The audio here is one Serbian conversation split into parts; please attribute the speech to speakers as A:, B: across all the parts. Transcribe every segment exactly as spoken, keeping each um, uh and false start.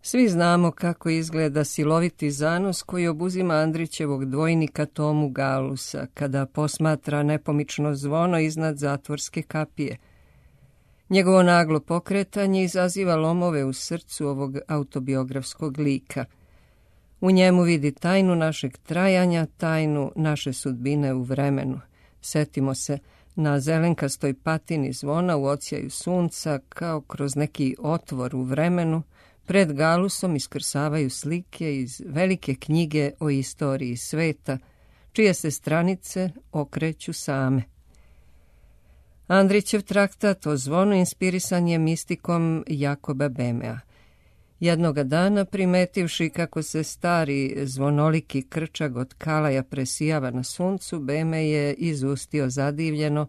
A: Svi znamo kako izgleda siloviti zanos koji obuzima Andrićevog dvojnika Tomu Galusa kada posmatra nepomično zvono iznad zatvorske kapije. Njegovo naglo pokretanje izaziva lomove u srcu ovog autobiografskog lika. U njemu vidi tajnu našeg trajanja, tajnu naše sudbine u vremenu. Setimo se, na zelenkastoj patini zvona u odsjaju sunca, kao kroz neki otvor u vremenu, pred Galusom iskrsavaju slike iz velike knjige o istoriji sveta, čije se stranice okreću same. Andrićev traktat o zvonu inspirisan je mistikom Jakoba Böhmea. Jednoga dana, primetivši kako se stari zvonoliki krčag od kalaja presijava na suncu, Böhme je izustio zadivljeno: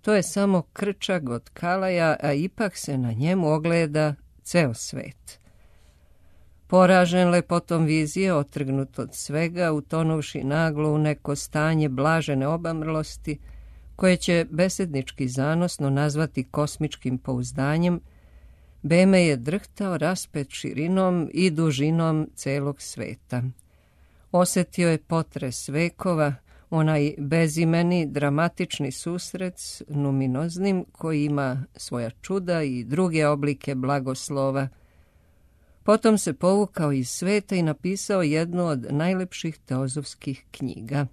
A: to je samo krčag od kalaja, a ipak se na njemu ogleda ceo svet. Poražen lepotom vizije, otrgnut od svega, utonuvši naglo u neko stanje blažene obamrlosti, koje će besednički zanosno nazvati kosmičkim pouzdanjem, Böhme je drhtao raspet širinom i dužinom celog sveta. Osetio je potres vekova, onaj bezimeni, dramatični susret s numinoznim koji ima svoja čuda i druge oblike blagoslova. Potom se povukao iz sveta i napisao jednu od najlepših teozofskih knjiga.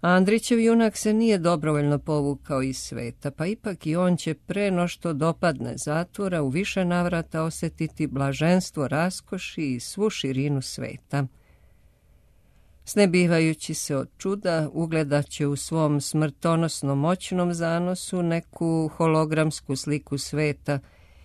A: Andrićev junak se nije dobrovoljno povukao iz sveta, pa ipak i on će pre no što dopadne zatvora u više navrata osetiti blaženstvo raskoši i svu širinu sveta. Snebivajući se od čuda, ugledat će u svom smrtonosno moćnom zanosu neku hologramsku sliku sveta,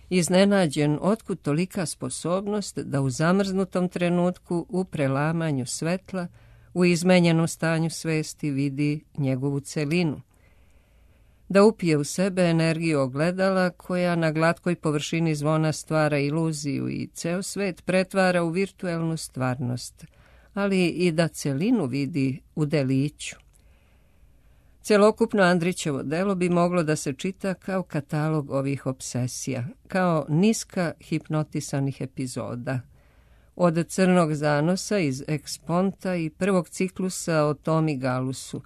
A: iznenađen otkud tolika sposobnost da u zamrznutom trenutku u prelamanju svetla, u izmenjenom stanju svesti vidi njegovu celinu. Da upije u sebe energiju ogledala koja na glatkoj površini zvona stvara iluziju i ceo svet pretvara u virtuelnu stvarnost, ali i da celinu vidi u deliću. Celokupno Andrićevo delo bi moglo da se čita kao katalog ovih obsesija, kao niska hipnotisanih epizoda. Od Crnog zanosa iz Eksponta i prvog ciklusa o Tomi Galusu,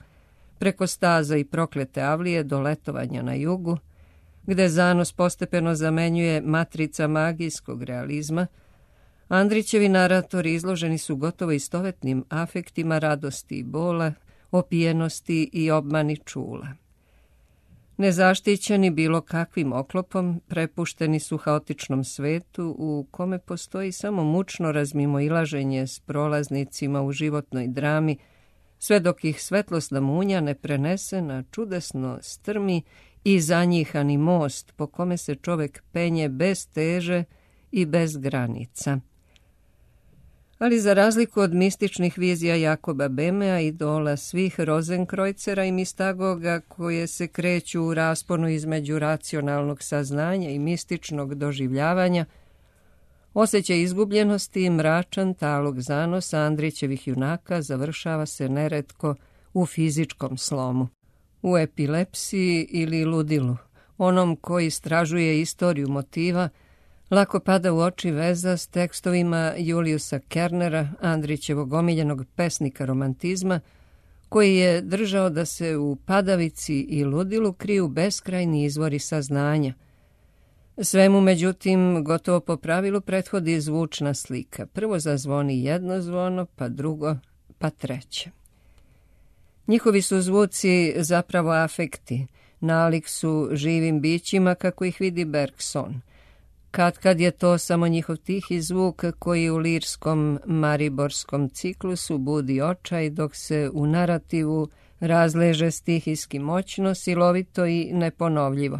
A: preko Staza i Proklete avlije do Letovanja na jugu, gde zanos postepeno zamenjuje matrica magijskog realizma, Andrićevi naratori izloženi su gotovo istovetnim afektima radosti i bola, opijenosti i obmani čula. Nezaštićeni bilo kakvim oklopom, prepušteni su haotičnom svetu u kome postoji samo mučno razmimoilaženje s prolaznicima u životnoj drami, sve dok ih svetlosna munja ne prenese na čudesno strmi i zanjihani most po kome se čovek penje bez teže i bez granica. Ali za razliku od mističnih vizija Jakoba Böhmea, idola svih Rozenkrojcera i Mistagoga koje se kreću u rasponu između racionalnog saznanja i mističnog doživljavanja, osjećaj izgubljenosti i mračan talog zanosa Andrićevih junaka završava se neretko u fizičkom slomu, u epilepsiji ili ludilu, onom koji istražuje istoriju motiva. Lako pada u oči veza s tekstovima Juliusa Kernera, Andrićevog omiljenog pesnika romantizma, koji je držao da se u padavici i ludilu kriju beskrajni izvori saznanja. Svemu, međutim, gotovo po pravilu prethodi zvučna slika. Prvo zazvoni jedno zvono, pa drugo, pa treće. Njihovi su zvuci zapravo afekti, nalik su živim bićima kako ih vidi Bergson. Kad kad je to samo njihov tihi zvuk koji u lirskom mariborskom ciklusu budi očaj, dok se u narativu razleže stihijski moćno, silovito i neponovljivo.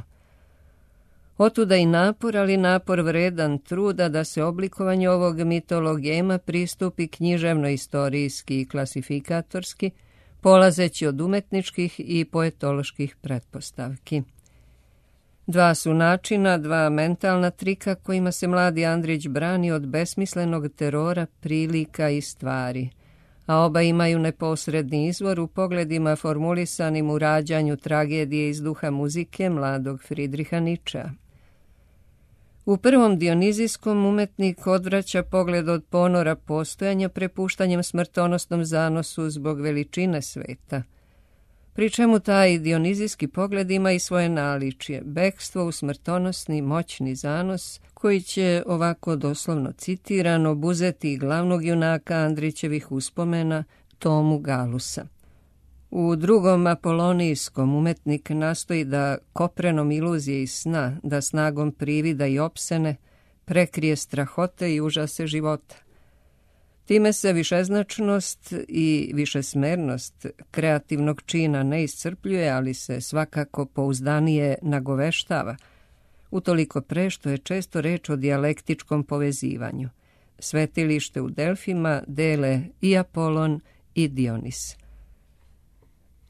A: Otuda i napor, ali napor vredan truda da se oblikovanju ovog mitologema pristupi književno-istorijski i klasifikatorski, polazeći od umetničkih i poetoloških pretpostavki. Dva su načina, dva mentalna trika kojima se mladi Andrić brani od besmislenog terora prilika i stvari, a oba imaju neposredni izvor u pogledima formulisanim u rađanju tragedije iz duha muzike mladog Fridriha Ničea. U prvom dionizijskom umetnik odvraća pogled od ponora postojanja prepuštanjem smrtonosnom zanosu zbog veličine sveta. Pri čemu taj dionizijski pogled ima i svoje naličje, bekstvo u smrtonosni, moćni zanos, koji će, ovako doslovno citiran, obuzeti glavnog junaka Andrićevih uspomena, Tomu Galusa. U drugom apolonijskom umetnik nastoji da koprenom iluzije i sna, da snagom privida i opsene, prekrije strahote i užase života. Time se višeznačnost i višesmernost kreativnog čina ne iscrpljuje, ali se svakako pouzdanije nagoveštava, utoliko pre što je često reč o dijalektičkom povezivanju. Svetilište u Delfima dele i Apolon i Dionis.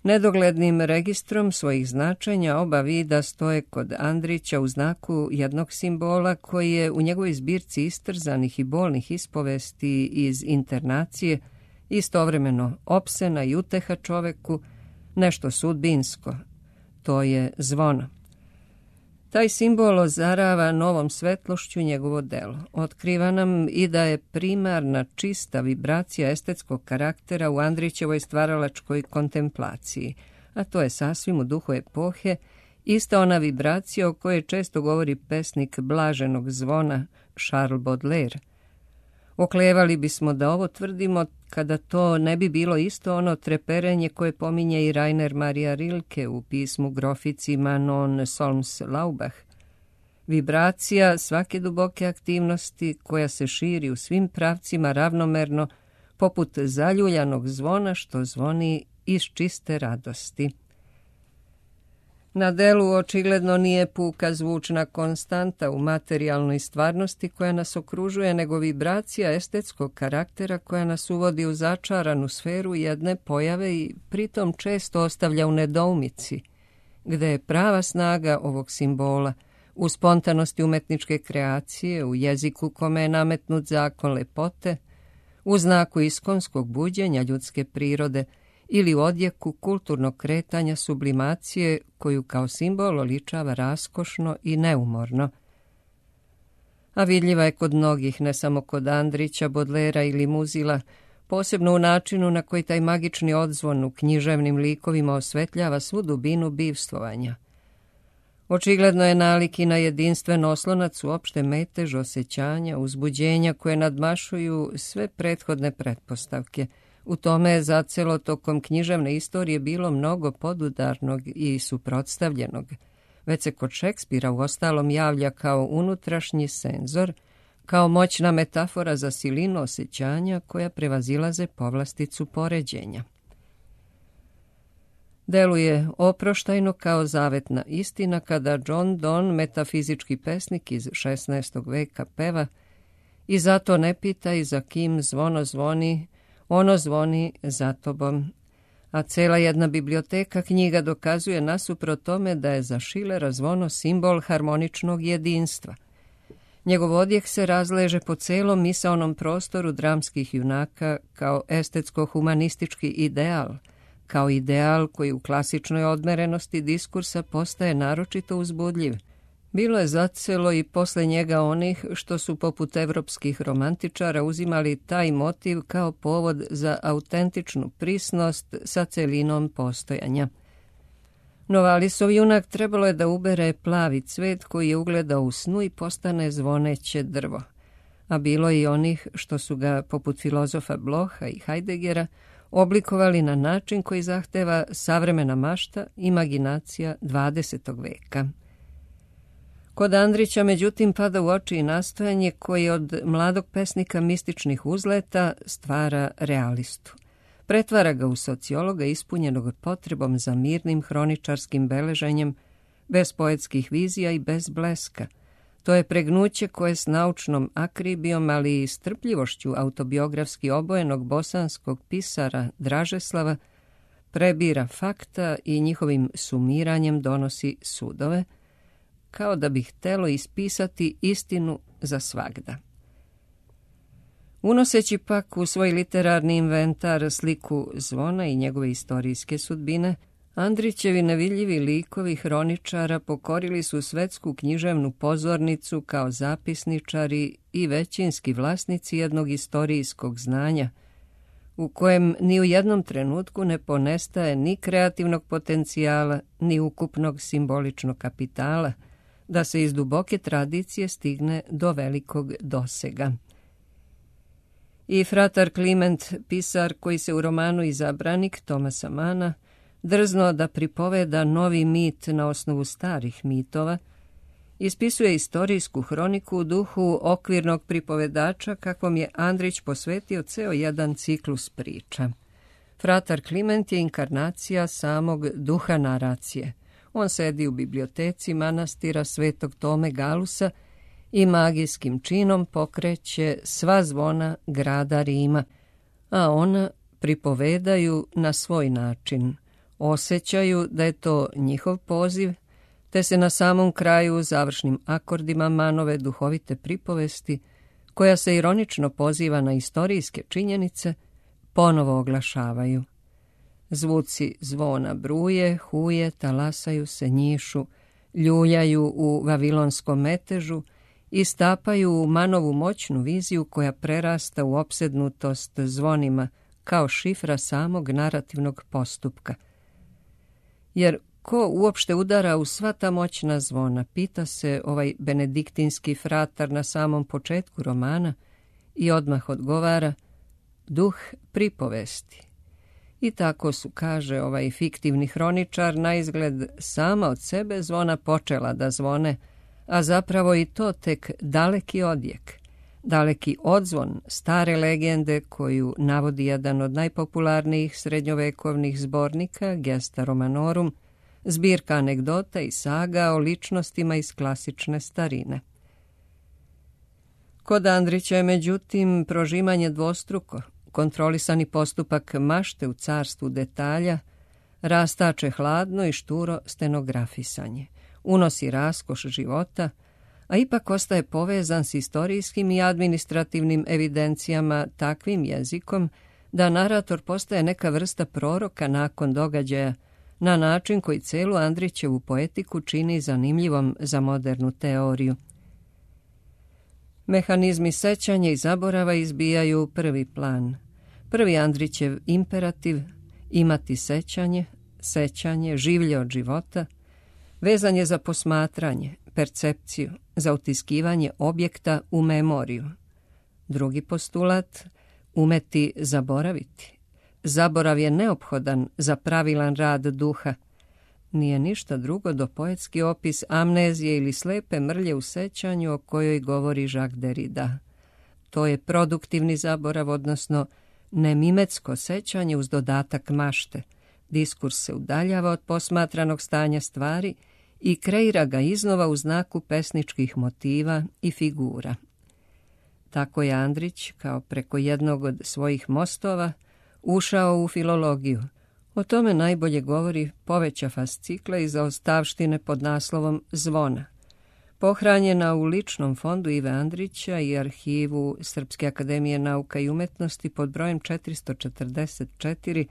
A: Nedoglednim registrom svojih značenja oba vida stoje kod Andrića u znaku jednog simbola koji je u njegovoj zbirci istrzanih i bolnih ispovesti iz internacije istovremeno opsena i uteha čoveku, nešto sudbinsko. To je zvono. Taj simbol ozarava novom svetlošću njegovo delo. Otkriva nam i da je primarna čista vibracija estetskog karaktera u Andrićevoj stvaralačkoj kontemplaciji, a to je sasvim u duhu epohe, ista ona vibracija o kojoj često govori pesnik blaženog zvona Charles Baudelaire. Oklevali bismo da ovo tvrdimo kada to ne bi bilo isto ono treperenje koje pominje i Rainer Maria Rilke u pismu Grofici Manon Solms Laubach. Vibracija svake duboke aktivnosti koja se širi u svim pravcima ravnomerno, poput zaljuljanog zvona što zvoni iz čiste radosti. Na delu očigledno nije puka zvučna konstanta u materijalnoj stvarnosti koja nas okružuje, nego vibracija estetskog karaktera koja nas uvodi u začaranu sferu jedne pojave i pritom često ostavlja u nedoumici, gde je prava snaga ovog simbola u spontanosti umetničke kreacije, u jeziku kome je nametnut zakon lepote, u znaku iskonskog buđenja ljudske prirode, ili u odjeku kulturnog kretanja sublimacije koju kao simbol oličava raskošno i neumorno. A vidljiva je kod mnogih, ne samo kod Andrića, Bodlera ili Muzila, posebno u načinu na koji taj magični odzvon u književnim likovima osvetljava svu dubinu bivstvovanja. Očigledno je nalik i na jedinstven oslonac uopšte metež osjećanja, uzbuđenja koje nadmašuju sve prethodne pretpostavke. U tome je zacelo tokom književne istorije bilo mnogo podudarnog i suprotstavljenog. Već se kod Šekspira u ostalom javlja kao unutrašnji senzor, kao moćna metafora za silinu osjećanja koja prevazilaze povlasticu poređenja. Deluje oproštajno kao zavetna istina kada John Donne, metafizički pesnik iz šesnaestog veka, peva: "I zato ne pitaj za kim zvono zvoni, ono zvoni za tobom." A cela jedna biblioteka knjiga dokazuje nasuprot tome da je za Schillera zvono simbol harmoničnog jedinstva. Njegov odjek se razleže po celom misaonom prostoru dramskih junaka kao estetsko-humanistički ideal, kao ideal koji u klasičnoj odmerenosti diskursa postaje naročito uzbudljiv. Bilo je zacelo i posle njega onih što su poput evropskih romantičara uzimali taj motiv kao povod za autentičnu prisnost sa celinom postojanja. No Valisov junak trebalo je da ubere plavi cvet koji je ugledao u snu i postane zvoneće drvo. A bilo je i onih što su ga, poput filozofa Bloha i Heideggera, oblikovali na način koji zahteva savremena mašta, imaginacija dvadesetog veka. Kod Andrića, međutim, pada u oči i nastojanje koji od mladog pesnika mističnih uzleta stvara realistu. Pretvara ga u sociologa ispunjenog potrebom za mirnim hroničarskim beleženjem, bez poetskih vizija i bez bleska. To je pregnuće koje s naučnom akribijom, ali i strpljivošću autobiografski obojenog bosanskog pisara Dražeslava prebira fakta i njihovim sumiranjem donosi sudove, kao da bi htelo ispisati istinu za svagda. Unoseći pak u svoj literarni inventar sliku zvona i njegove istorijske sudbine, Andrićevi nevidljivi likovi hroničara pokorili su svetsku književnu pozornicu kao zapisničari i većinski vlasnici jednog istorijskog znanja, u kojem ni u jednom trenutku ne ponestaje ni kreativnog potencijala, ni ukupnog simboličnog kapitala, da se iz duboke tradicije stigne do velikog dosega. I fratar Kliment, pisar koji se u romanu Izabranik Tomasa Mana drzno da pripoveda novi mit na osnovu starih mitova, ispisuje istorijsku hroniku u duhu okvirnog pripovedača kakvom je Andrić posvetio ceo jedan ciklus priča. Fratar Kliment je inkarnacija samog duha naracije. On sedi u biblioteci manastira Svetog Tome Galusa i magijskim činom pokreće sva zvona grada Rima, a ona pripovedaju na svoj način. Osjećaju da je to njihov poziv, te se na samom kraju završnim akordima Manove duhovite pripovesti, koja se ironično poziva na istorijske činjenice, ponovo oglašavaju. Zvuci zvona bruje, huje, talasaju se, njišu, ljuljaju u vavilonskom metežu i stapaju u Manovu moćnu viziju koja prerasta u opsednutost zvonima kao šifra samog narativnog postupka. Jer ko uopšte udara u sva ta moćna zvona, pita se ovaj benediktinski fratar na samom početku romana i odmah odgovara: duh pripovesti. I tako su, kaže ovaj fiktivni hroničar, na izgled sama od sebe zvona počela da zvone, a zapravo i to tek daleki odjek, daleki odzvon stare legende koju navodi jedan od najpopularnijih srednjovekovnih zbornika, Gesta Romanorum, zbirka anegdota i saga o ličnostima iz klasične starine. Kod Andrića je međutim prožimanje dvostruko, kontrolisani postupak mašte u carstvu detalja, rastače hladno i šturo stenografisanje, unosi raskoš života, a ipak ostaje povezan s istorijskim i administrativnim evidencijama takvim jezikom da narator postaje neka vrsta proroka nakon događaja, na način koji celu Andrićevu poetiku čini zanimljivom za modernu teoriju. Mehanizmi sećanja i zaborava izbijaju u prvi plan. Prvi Andrićev imperativ, imati sećanje, sećanje, življe od života, vezan je za posmatranje, percepciju, za utiskivanje objekta u memoriju. Drugi postulat, umeti zaboraviti. Zaborav je neophodan za pravilan rad duha. Nije ništa drugo do poetski opis amnezije ili slepe mrlje u sećanju o kojoj govori Jacques Derrida. To je produktivni zaborav, odnosno nemimetsko sećanje uz dodatak mašte. Diskurs se udaljava od posmatranog stanja stvari i kreira ga iznova u znaku pesničkih motiva i figura. Tako je Andrić, kao preko jednog od svojih mostova, ušao u filologiju. O tome najbolje govori poveća fascikla i zaostavštine pod naslovom Zvona, pohranjena u ličnom fondu Ive Andrića i arhivu Srpske akademije nauka i umetnosti pod brojem četiristo četrdeset četiri.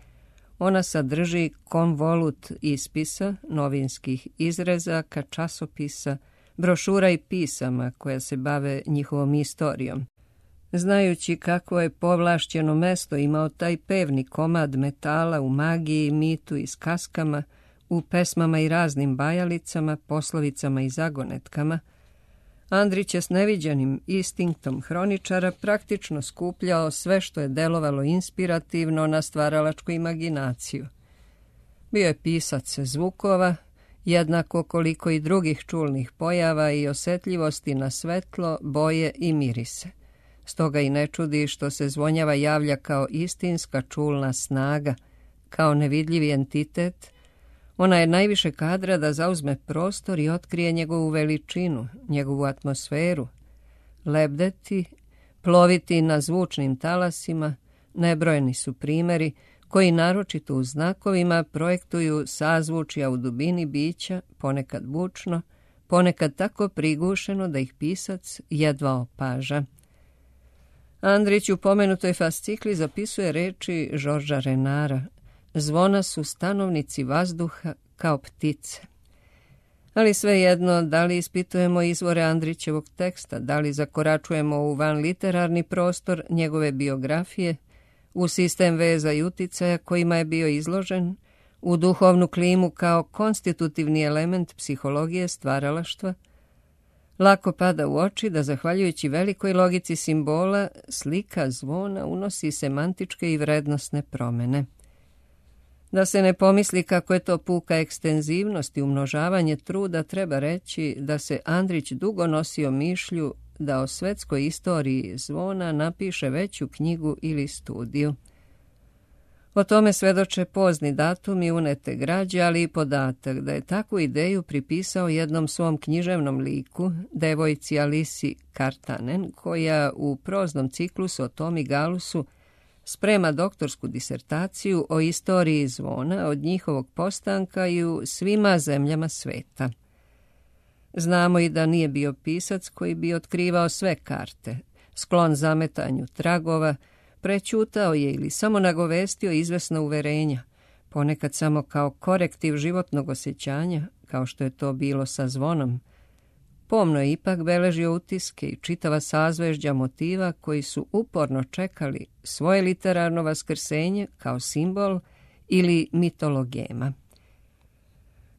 A: Ona sadrži konvolut ispisa, novinskih izrezaka, časopisa, brošura i pisama koja se bave njihovom istorijom. Znajući kako je povlašćeno mesto imao taj pevni komad metala u magiji, mitu i skaskama, u pesmama i raznim bajalicama, poslovicama i zagonetkama, Andrić je s neviđenim instinktom hroničara praktično skupljao sve što je delovalo inspirativno na stvaralačku imaginaciju. Bio je pisac zvukova, jednako koliko i drugih čulnih pojava i osjetljivosti na svetlo, boje i mirise. Stoga i ne čudi što se zvonjava javlja kao istinska čulna snaga, kao nevidljivi entitet. Ona je najviše kadra da zauzme prostor i otkrije njegovu veličinu, njegovu atmosferu. Lebdeti, ploviti na zvučnim talasima, nebrojeni su primjeri koji naročito u znakovima projektuju sazvučja u dubini bića, ponekad bučno, ponekad tako prigušeno da ih pisac jedva opaža. Andrić u pomenutoj fascikli zapisuje reči Žorža Renara: zvona su stanovnici vazduha kao ptice. Ali svejedno, da li ispitujemo izvore Andrićevog teksta, da li zakoračujemo u van literarni prostor njegove biografije, u sistem veza i uticaja kojima je bio izložen, u duhovnu klimu kao konstitutivni element psihologije stvaralaštva, lako pada u oči da, zahvaljujući velikoj logici simbola, slika zvona unosi semantičke i vrednosne promjene. Da se ne pomisli kako je to puka ekstenzivnost i umnožavanje truda, treba reći da se Andrić dugo nosio mišlju da o svetskoj istoriji zvona napiše veću knjigu ili studiju. O tome svedoče pozni datumi unete građe, ali i podatak da je takvu ideju pripisao jednom svom književnom liku, devojci Alisi Kartanen, koja u proznom ciklusu o Tomi Galusu sprema doktorsku disertaciju o istoriji zvona od njihovog postanka i u svima zemljama sveta. Znamo i da nije bio pisac koji bi otkrivao sve karte, sklon zametanju tragova, prećutao je ili samo nagovestio izvesna uverenja, ponekad samo kao korektiv životnog osjećanja, kao što je to bilo sa zvonom. Pomno je ipak beležio utiske i čitava sazvežđa motiva koji su uporno čekali svoje literarno vaskrsenje kao simbol ili mitologema.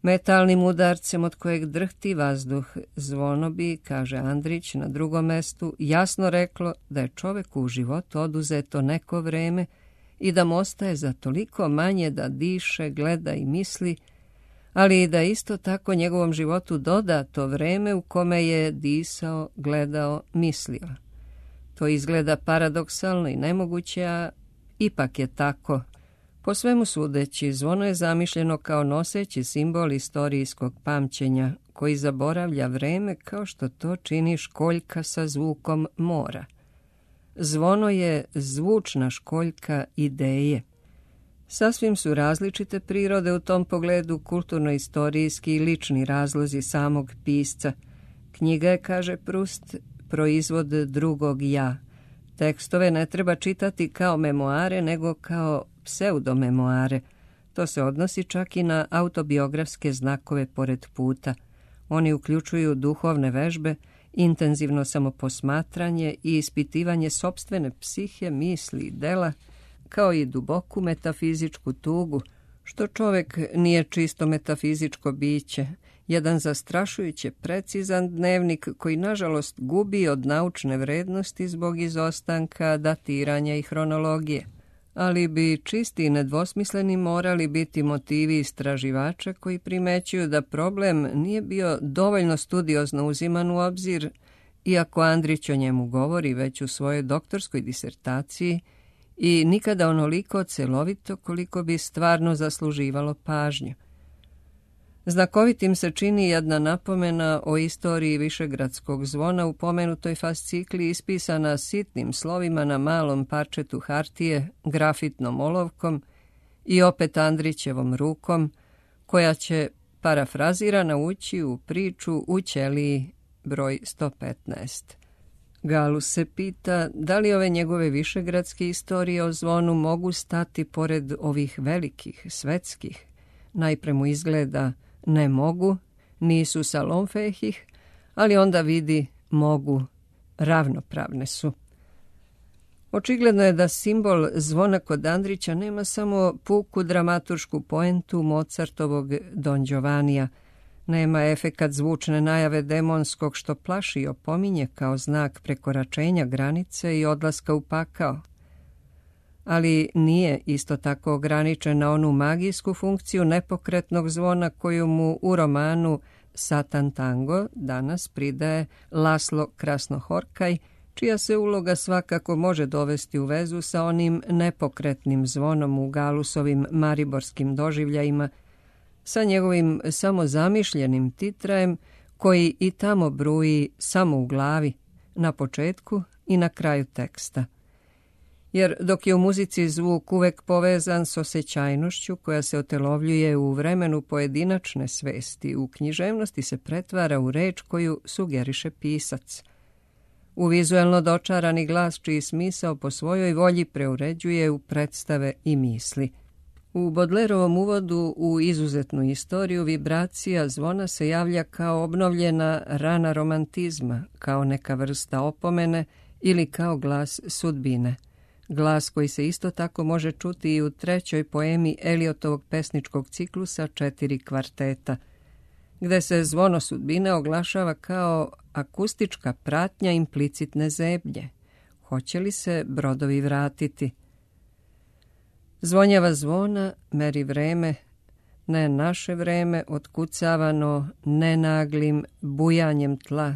A: Metalnim udarcem od kojeg drhti vazduh, zvono bi, kaže Andrić na drugom mestu, jasno reklo da je čoveku u životu oduzeto neko vreme i da mu ostaje za toliko manje da diše, gleda i misli, ali i da isto tako njegovom životu doda to vreme u kome je disao, gledao, mislio. To izgleda paradoksalno i nemoguće, a ipak je tako. Po svemu sudeći, zvono je zamišljeno kao noseći simbol istorijskog pamćenja, koji zaboravlja vreme kao što to čini školjka sa zvukom mora. Zvono je zvučna školjka ideje. Sasvim su različite prirode u tom pogledu kulturno-istorijski i lični razlozi samog pisca. Knjiga je, kaže Proust, proizvod drugog ja. Tekstove ne treba čitati kao memoare, nego kao pseudomemoare. To se odnosi čak i na autobiografske znakove pored puta. Oni uključuju duhovne vežbe, intenzivno samoposmatranje i ispitivanje sopstvene psihe, misli i dela, kao i duboku metafizičku tugu, što čovjek nije čisto metafizičko biće, jedan zastrašujuće precizan dnevnik koji nažalost gubi od naučne vrednosti zbog izostanka, datiranja i hronologije. Ali bi čisti i nedvosmisleni morali biti motivi istraživača koji primećuju da problem nije bio dovoljno studiozno uziman u obzir, iako Andrić o njemu govori već u svojoj doktorskoj disertaciji, i nikada onoliko celovito koliko bi stvarno zasluživalo pažnju. Znakovitim se čini jedna napomena o istoriji višegradskog zvona u pomenutoj fascikli ispisana sitnim slovima na malom parčetu hartije, grafitnom olovkom i opet Andrićevom rukom, koja će parafrazirana ući u priču u ćeliji broj sto petnaest. Galus se pita da li ove njegove višegradske istorije o zvonu mogu stati pored ovih velikih, svetskih. Najpre mu izgleda ne mogu, nisu salonfehih, ali onda vidi mogu, ravnopravne su. Očigledno je da simbol zvona kod Andrića nema samo puku dramaturšku poentu Mozartovog Don Giovannija, nema efekat zvučne najave demonskog što plaši i opominje kao znak prekoračenja granice i odlaska u pakao. Ali nije isto tako ograničen na onu magijsku funkciju nepokretnog zvona koju mu u romanu Satan Tango danas pridaje Laslo Krasnohorkaj, čija se uloga svakako može dovesti u vezu sa onim nepokretnim zvonom u Galusovim mariborskim doživljajima, sa njegovim samozamišljenim titrajem koji i tamo bruji samo u glavi, na početku i na kraju teksta. Jer dok je u muzici zvuk uvek povezan s osjećajnošću koja se otelovljuje u vremenu pojedinačne svesti, u književnosti se pretvara u reč koju sugeriše pisac. U vizuelno dočarani glas čiji smisao po svojoj volji preuređuje u predstave i misli. U Bodlerovom uvodu u izuzetnu istoriju vibracija zvona se javlja kao obnovljena rana romantizma, kao neka vrsta opomene ili kao glas sudbine. Glas koji se isto tako može čuti i u trećoj poemi Eliotovog pesničkog ciklusa Četiri kvarteta, gde se zvono sudbine oglašava kao akustička pratnja implicitne zebnje. Hoće li se brodovi vratiti? Zvonjava zvona meri vreme, ne naše vreme otkucavano nenaglim bujanjem tla,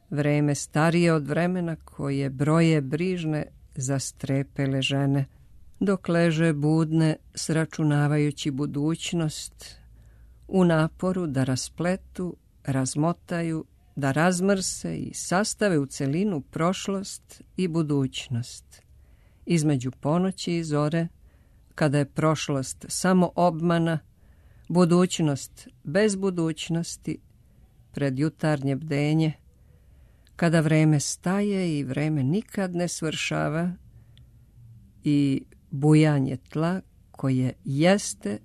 A: vreme starije od vremena koje broje brižne zastrepele žene, dok leže budne sračunavajući budućnost, u naporu da raspletu, razmotaju, da razmrse i sastave u celinu prošlost i budućnost. Između ponoći i zore, kada je prošlost samo obmana, budućnost bez budućnosti, pred jutarnje bdenje, kada vreme staje i vreme nikad ne svršava i bujanje tla koje jeste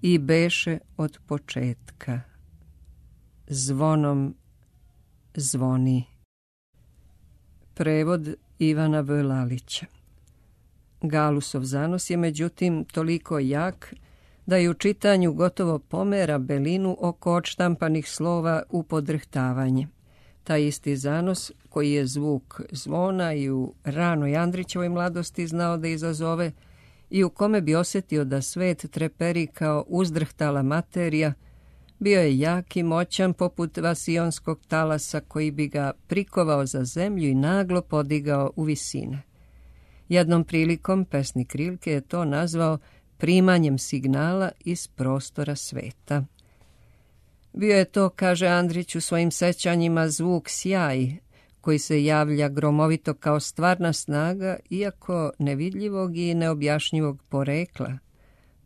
A: i beše od početka. Zvonom zvoni. Prevod Ivana V. Lalića. Galusov zanos je međutim toliko jak da je u čitanju gotovo pomera belinu oko odštampanih slova u podrhtavanje. Taj isti zanos, koji je zvuk zvona i u ranoj Andrićevoj mladosti znao da izazove i u kome bi osjetio da svet treperi kao uzdrhtala materija, bio je jak i moćan poput vasionskog talasa koji bi ga prikovao za zemlju i naglo podigao u visine. Jednom prilikom pesnik Rilke je to nazvao primanjem signala iz prostora sveta. Bio je to, kaže Andrić u svojim sećanjima, zvuk sjaj, koji se javlja gromovito kao stvarna snaga, iako nevidljivog i neobjašnjivog porekla.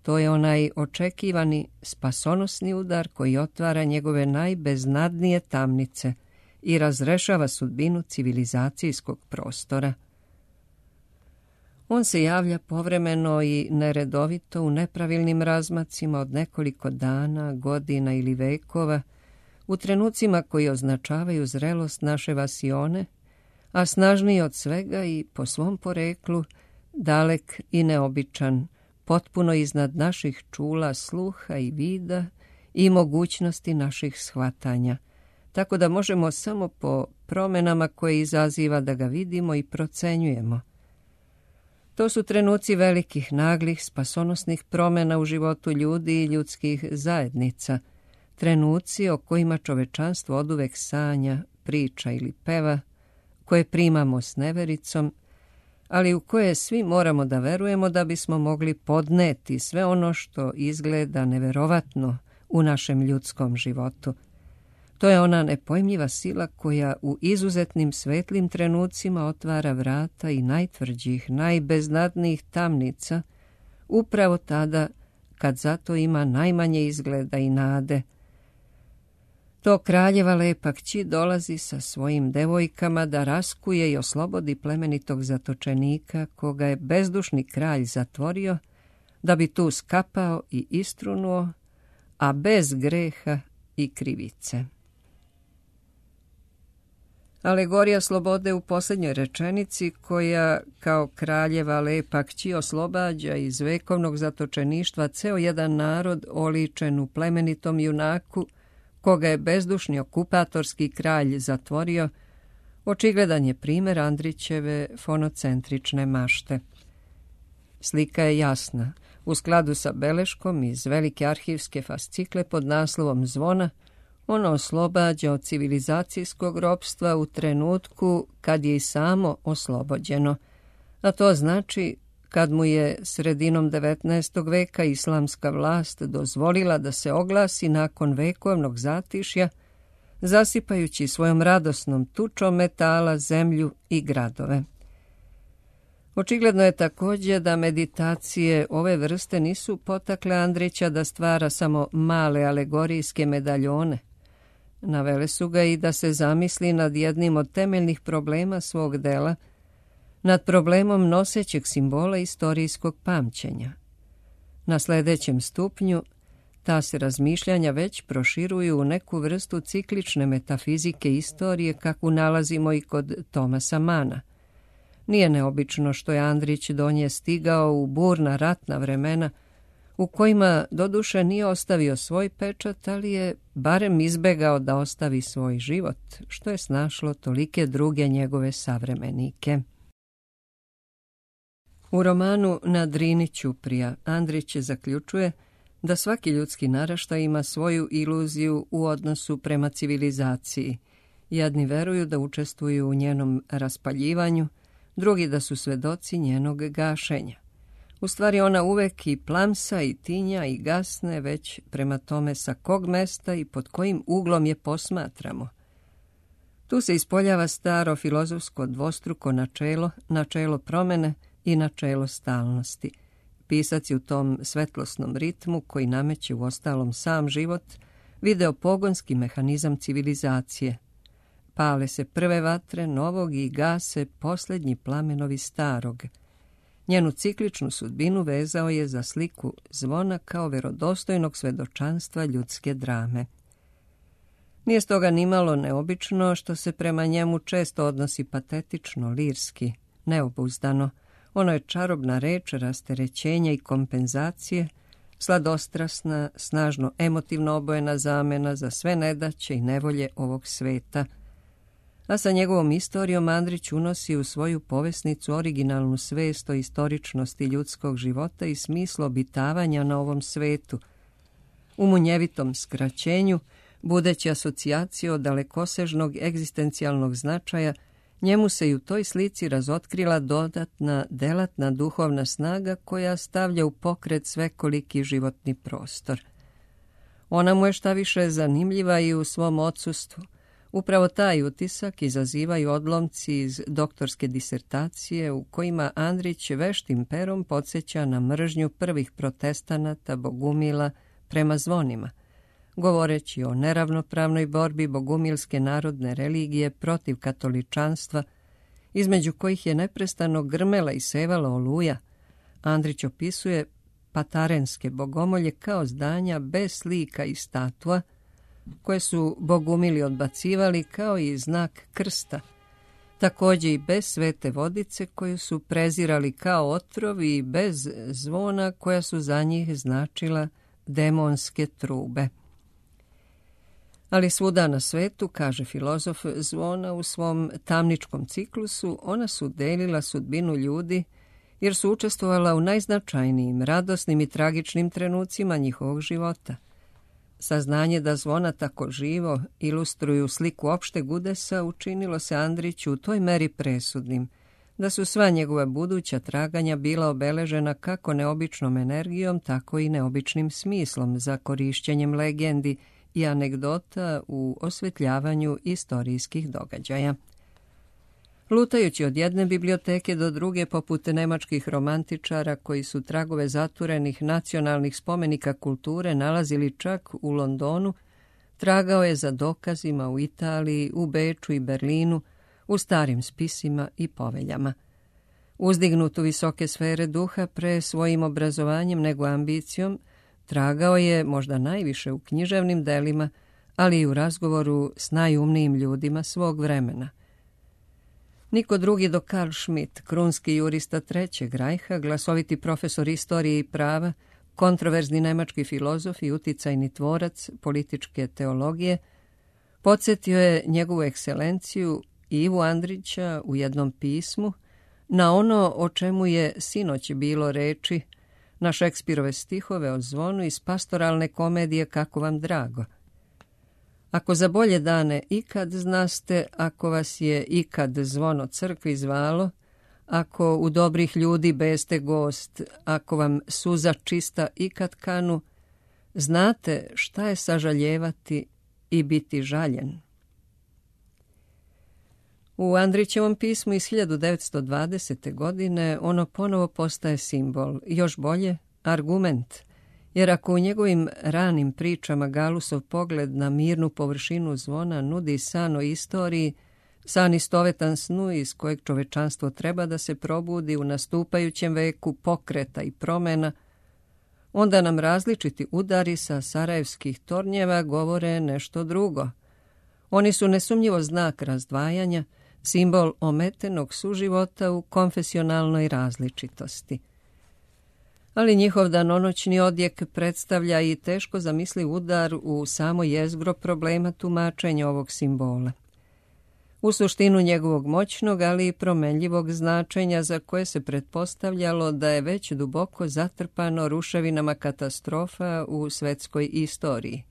A: To je onaj očekivani spasonosni udar koji otvara njegove najbeznadnije tamnice i razrešava sudbinu civilizacijskog prostora. On se javlja povremeno i neredovito u nepravilnim razmacima od nekoliko dana, godina ili vekova, u trenucima koji označavaju zrelost naše vasione, a snažniji od svega i po svom poreklu, dalek i neobičan, potpuno iznad naših čula, sluha i vida i mogućnosti naših shvatanja, tako da možemo samo po promjenama koje izaziva da ga vidimo i procenjujemo. To su trenuci velikih, naglih, spasonosnih promjena u životu ljudi i ljudskih zajednica, trenuci o kojima čovečanstvo oduvek sanja, priča ili peva, koje primamo s nevericom, ali u koje svi moramo da verujemo da bismo mogli podneti sve ono što izgleda neverovatno u našem ljudskom životu. To je ona nepojmljiva sila koja u izuzetnim svetlim trenucima otvara vrata i najtvrđih, najbeznadnijih tamnica, upravo tada kad zato ima najmanje izgleda i nade. To kraljeva lepa kći dolazi sa svojim devojkama da raskuje i oslobodi plemenitog zatočenika koga je bezdušni kralj zatvorio, da bi tu skapao i istrunuo, a bez greha i krivice. Alegorija slobode u posljednjoj rečenici, koja kao kraljeva lepa kći oslobađa iz vekovnog zatočeništva ceo jedan narod oličen u plemenitom junaku, koga je bezdušni okupatorski kralj zatvorio, očigledan je primjer Andrićeve fonocentrične mašte. Slika je jasna. U skladu sa beleškom iz velike arhivske fascikle pod naslovom Zvona, ono oslobađa od civilizacijskog ropstva u trenutku kad je i samo oslobođeno, a to znači kad mu je sredinom devetnaestog veka islamska vlast dozvolila da se oglasi nakon vekovnog zatišja, zasipajući svojom radosnom tučom metala zemlju i gradove. Očigledno je također da meditacije ove vrste nisu potakle Andrića da stvara samo male alegorijske medaljone. Navele su ga i da se zamisli nad jednim od temeljnih problema svog dela, nad problemom nosećeg simbola istorijskog pamćenja. Na sljedećem stupnju ta se razmišljanja već proširuju u neku vrstu ciklične metafizike istorije kakvu nalazimo i kod Thomasa Mana. Nije neobično što je Andrić do nje stigao u burna ratna vremena u kojima doduše nije ostavio svoj pečat, ali je barem izbegao da ostavi svoj život, što je snašlo tolike druge njegove savremenike. U romanu Na Drini Ćuprija Andrić zaključuje da svaki ljudski naraštaj ima svoju iluziju u odnosu prema civilizaciji. Jedni veruju da učestvuju u njenom raspaljivanju, drugi da su svedoci njenog gašenja. U stvari ona uvek i plamsa i tinja i gasne, već prema tome sa kog mesta i pod kojim uglom je posmatramo. Tu se ispoljava staro filozofsko dvostruko načelo, načelo promene i načelo stalnosti. Pisac je u tom svetlosnom ritmu, koji nameće u ostalom sam život, video pogonski mehanizam civilizacije. Pale se prve vatre novog i gase posljednji plamenovi starog. Njenu cikličnu sudbinu vezao je za sliku zvona kao verodostojnog svedočanstva ljudske drame. Nije stoga nimalo neobično što se prema njemu često odnosi patetično, lirski, neobuzdano. Ono je čarobna reč rasterećenja i kompenzacije, sladostrasna, snažno emotivno obojena zamena za sve nedaće i nevolje ovog sveta. A sa njegovom istorijom Andrić unosi u svoju povesnicu originalnu svest o istoričnosti ljudskog života i smislu obitavanja na ovom svetu. U munjevitom skraćenju, budeći asocijaciju od dalekosežnog egzistencijalnog značaja, njemu se i u toj slici razotkrila dodatna, delatna duhovna snaga koja stavlja u pokret svekoliki životni prostor. Ona mu je šta više zanimljiva i u svom odsustvu. Upravo taj utisak izazivaju odlomci iz doktorske disertacije u kojima Andrić veštim perom podsjeća na mržnju prvih protestanata bogumila prema zvonima, govoreći o neravnopravnoj borbi bogumilske narodne religije protiv katoličanstva, između kojih je neprestano grmela i sevala oluja. Andrić opisuje patarenske bogomolje kao zdanja bez slika i statua, koje su bogumili odbacivali kao i znak krsta, također i bez svete vodice koju su prezirali kao otrov i bez zvona koja su za njih značila demonske trube. Ali svuda na svetu, kaže filozof zvona u svom tamničkom ciklusu, ona su delila sudbinu ljudi jer su učestvovala u najznačajnijim, radosnim i tragičnim trenucima njihovog života. Saznanje da zvona tako živo ilustruju sliku opšteg udesa učinilo se Andriću u toj meri presudnim, da su sva njegova buduća traganja bila obeležena kako neobičnom energijom, tako i neobičnim smislom za korišćenjem legendi i anegdota u osvetljavanju istorijskih događaja. Lutajući od jedne biblioteke do druge poput nemačkih romantičara koji su tragove zaturenih nacionalnih spomenika kulture nalazili čak u Londonu, tragao je za dokazima u Italiji, u Beču i Berlinu, u starim spisima i poveljama. Uzdignut u visoke sfere duha pre svojim obrazovanjem nego ambicijom, tragao je možda najviše u književnim delima, ali i u razgovoru s najumnijim ljudima svog vremena. Niko drugi do Karl Schmitt, krunski jurista Trećeg rajha, glasoviti profesor istorije i prava, kontroverzni nemački filozof i uticajni tvorac političke teologije, podsjetio je njegovu ekscelenciju Ivu Andrića u jednom pismu na ono o čemu je sinoć bilo reči, na Šekspirove stihove o zvonu iz pastoralne komedije Kako vam drago. Ako za bolje dane ikad znaste, ako vas je ikad zvono crkvi zvalo, ako u dobrih ljudi beste gost, ako vam suza čista ikad kanu, znate šta je sažaljevati i biti žaljen. U Andrićevom pismu iz hiljadu devetsto dvadesete. godine ono ponovo postaje simbol, još bolje argument, jer ako u njegovim ranim pričama Galusov pogled na mirnu površinu zvona nudi san o istoriji, san istovetan snu iz kojeg čovečanstvo treba da se probudi u nastupajućem veku pokreta i promena, onda nam različiti udari sa sarajevskih tornjeva govore nešto drugo. Oni su nesumnjivo znak razdvajanja, simbol ometenog suživota u konfesionalnoj različitosti. Ali njihov danonoćni odjek predstavlja i teško zamisliv udar u samo jezgro problema tumačenja ovog simbola. U suštinu njegovog moćnog, ali i promenljivog značenja za koje se pretpostavljalo da je već duboko zatrpano ruševinama katastrofa u svetskoj istoriji.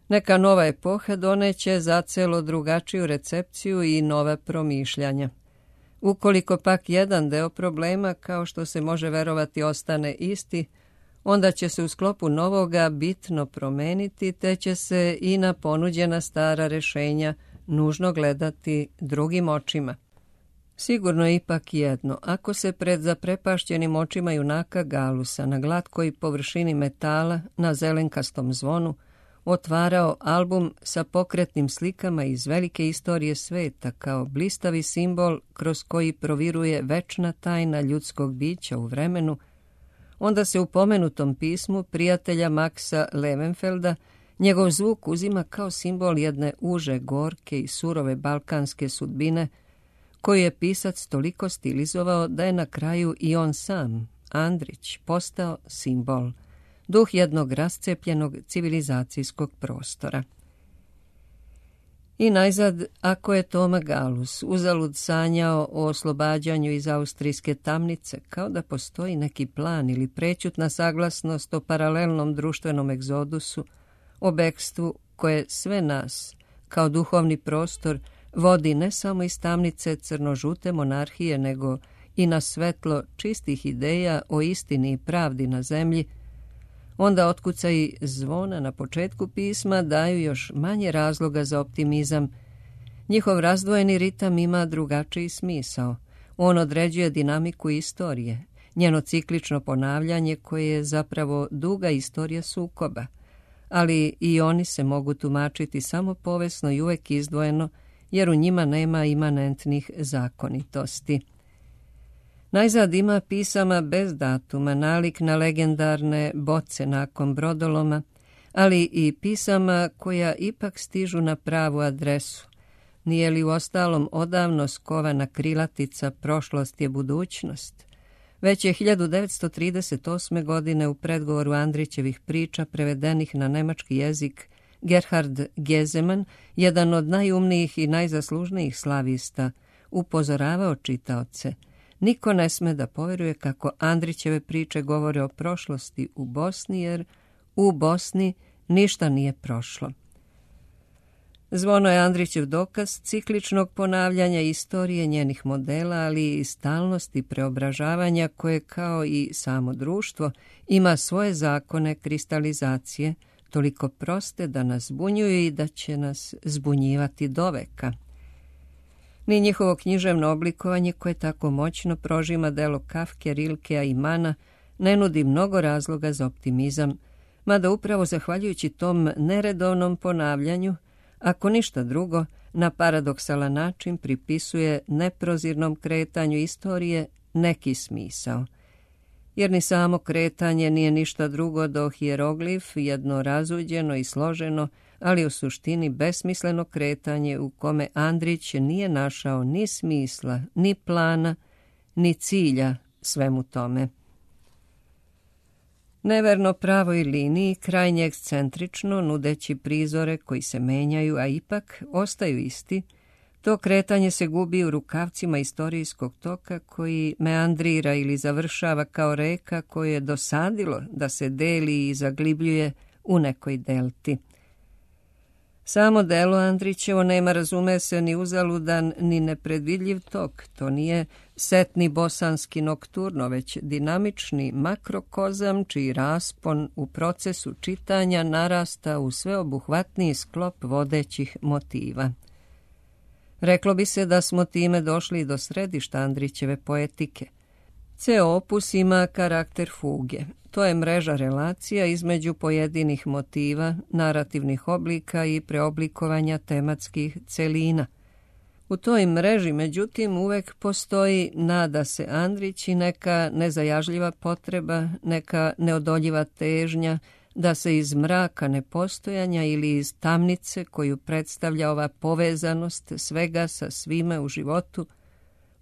A: Neka nova epoha doneće zacelo drugačiju recepciju i nova promišljanja. Ukoliko pak jedan deo problema, kao što se može verovati, ostane isti, onda će se u sklopu novoga bitno promeniti, te će se i na ponuđena stara rešenja nužno gledati drugim očima. Sigurno je ipak jedno, ako se pred zaprepašćenim očima junaka Galusa na glatkoj površini metala na zelenkastom zvonu otvarao album sa pokretnim slikama iz velike istorije sveta kao blistavi simbol kroz koji proviruje večna tajna ljudskog bića u vremenu, onda se u pomenutom pismu prijatelja Maxa Levenfelda njegov zvuk uzima kao simbol jedne uže, gorke i surove balkanske sudbine, koju je pisac toliko stilizovao da je na kraju i on sam, Andrić, postao simbol, duh jednog rascepljenog civilizacijskog prostora. I najzad, ako je Toma Galus uzalud sanjao o oslobađanju iz austrijske tamnice, kao da postoji neki plan ili prećutna saglasnost o paralelnom društvenom egzodusu, o bekstvu koje sve nas, kao duhovni prostor, vodi ne samo iz tamnice crno-žute monarhije, nego i na svetlo čistih ideja o istini i pravdi na zemlji, onda otkucaji zvona na početku pisma daju još manje razloga za optimizam. Njihov razdvojeni ritam ima drugačiji smisao. On određuje dinamiku istorije, njeno ciklično ponavljanje koje je zapravo duga istorija sukoba, ali i oni se mogu tumačiti samo povesno i uvek izdvojeno, jer u njima nema imanentnih zakonitosti. Najzad ima pisama bez datuma, nalik na legendarne boce nakon brodoloma, ali i pisama koja ipak stižu na pravu adresu. Nije li u ostalom odavno skovana krilatica prošlost je budućnost? Već je hiljadu devetsto trideset osme. godine u predgovoru Andrićevih priča prevedenih na nemački jezik Gerhard Gezeman, jedan od najumnijih i najzaslužnijih slavista, upozoravao čitaoce: niko ne sme da poveruje kako Andrićeve priče govore o prošlosti u Bosni, jer u Bosni ništa nije prošlo. Zvono je Andrićev dokaz cikličnog ponavljanja istorije, njenih modela, ali i stalnosti preobražavanja koje, kao i samo društvo, ima svoje zakone kristalizacije, toliko proste da nas zbunjuju i da će nas zbunjivati doveka. Ni njihovo književno oblikovanje, koje tako moćno prožima delo Kafke, Rilkea i Mana, ne nudi mnogo razloga za optimizam, mada upravo zahvaljujući tom neredovnom ponavljanju, ako ništa drugo, na paradoksalan način pripisuje neprozirnom kretanju istorije neki smisao. Jer ni samo kretanje nije ništa drugo do hijeroglif, jedno razuđeno i složeno, ali u suštini besmisleno kretanje u kome Andrić nije našao ni smisla, ni plana, ni cilja svemu tome. Neverno pravoj liniji, krajnje ekscentrično, nudeći prizore koji se menjaju, a ipak ostaju isti, to kretanje se gubi u rukavcima istorijskog toka koji meandrira ili završava kao reka koju je dosadilo da se deli i zaglibljuje u nekoj delti. Samo delo Andrićevo nema, razume se, ni uzaludan, ni nepredvidljiv tok. To nije setni bosanski nokturno, već dinamični makrokozam, čiji raspon u procesu čitanja narasta u sveobuhvatniji sklop vodećih motiva. Reklo bi se da smo time došli do središta Andrićeve poetike. Ceo opus ima karakter fuge. To je mreža relacija između pojedinih motiva, narativnih oblika i preoblikovanja tematskih celina. U toj mreži, međutim, uvek postoji, nada se Andrić, i neka nezajažljiva potreba, neka neodoljiva težnja da se iz mraka nepostojanja ili iz tamnice koju predstavlja ova povezanost svega sa svime u životu,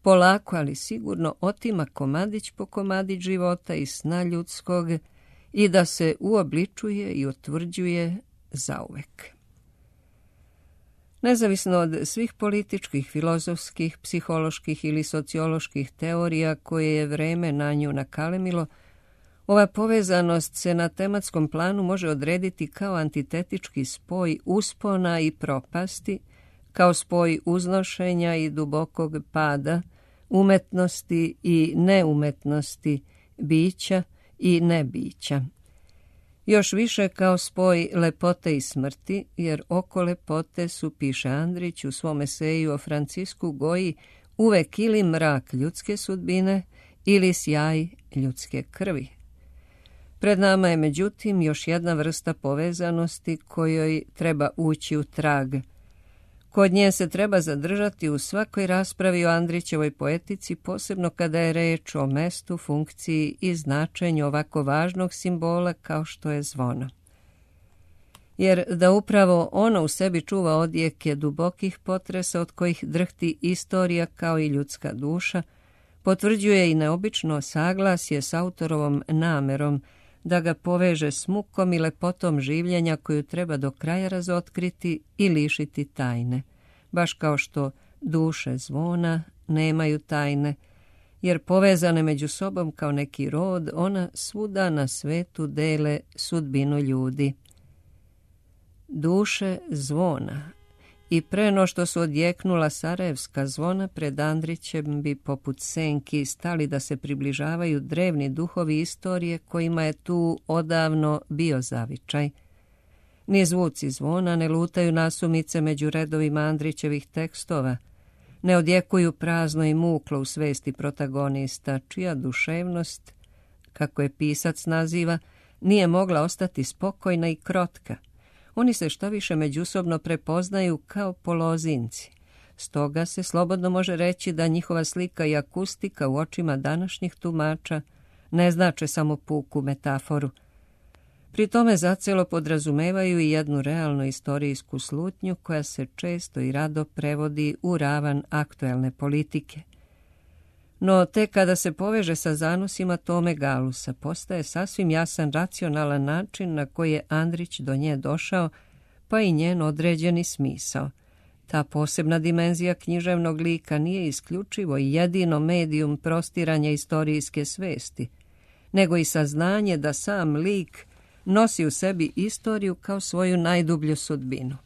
A: polako, ali sigurno otima komadić po komadić života i sna ljudskog i da se uobličuje i utvrđuje zauvek. Nezavisno od svih političkih, filozofskih, psiholoških ili socioloških teorija koje je vreme na nju nakalemilo, ova povezanost se na tematskom planu može odrediti kao antitetički spoj uspona i propasti, kao spoj uznošenja i dubokog pada, umetnosti i neumetnosti, bića i nebića. Još više kao spoj lepote i smrti, jer oko lepote su, piše Andrić u svom eseju o Francisku Goji, uvek ili mrak ljudske sudbine ili sjaj ljudske krvi. Pred nama je, međutim, još jedna vrsta povezanosti kojoj treba ući u trag. Kod nje se treba zadržati u svakoj raspravi o Andrićevoj poetici, posebno kada je reč o mestu, funkciji i značenju ovako važnog simbola kao što je zvono. Jer da upravo ono u sebi čuva odjeke dubokih potresa od kojih drhti istorija kao i ljudska duša, potvrđuje i neobično saglasje s autorovom namerom da ga poveže s mukom i lepotom življenja koju treba do kraja razotkriti i lišiti tajne, baš kao što duše zvona nemaju tajne, jer povezane među sobom kao neki rod, ona svuda na svetu dele sudbinu ljudi. Duše zvona, i pre no što su odjeknula sarajevska zvona, pred Andrićem bi poput senki stali da se približavaju drevni duhovi istorije kojima je tu odavno bio zavičaj. Ni zvuci zvona ne lutaju nasumice među redovima Andrićevih tekstova, ne odjekuju prazno i muklo u svesti protagonista, čija duševnost, kako je pisac naziva, nije mogla ostati spokojna i krotka. Oni se što više međusobno prepoznaju kao polozinci. Stoga se slobodno može reći da njihova slika i akustika u očima današnjih tumača ne znače samo puku metaforu. Pri tome zacelo podrazumevaju i jednu realnu istorijsku slutnju koja se često i rado prevodi u ravan aktuelne politike. No tek kada se poveže sa zanosima Tome Galusa, postaje sasvim jasan racionalan način na koji je Andrić do nje došao, pa i njen određeni smisao. Ta posebna dimenzija književnog lika nije isključivo i jedino medijum prostiranja istorijske svesti, nego i saznanje da sam lik nosi u sebi istoriju kao svoju najdublju sudbinu.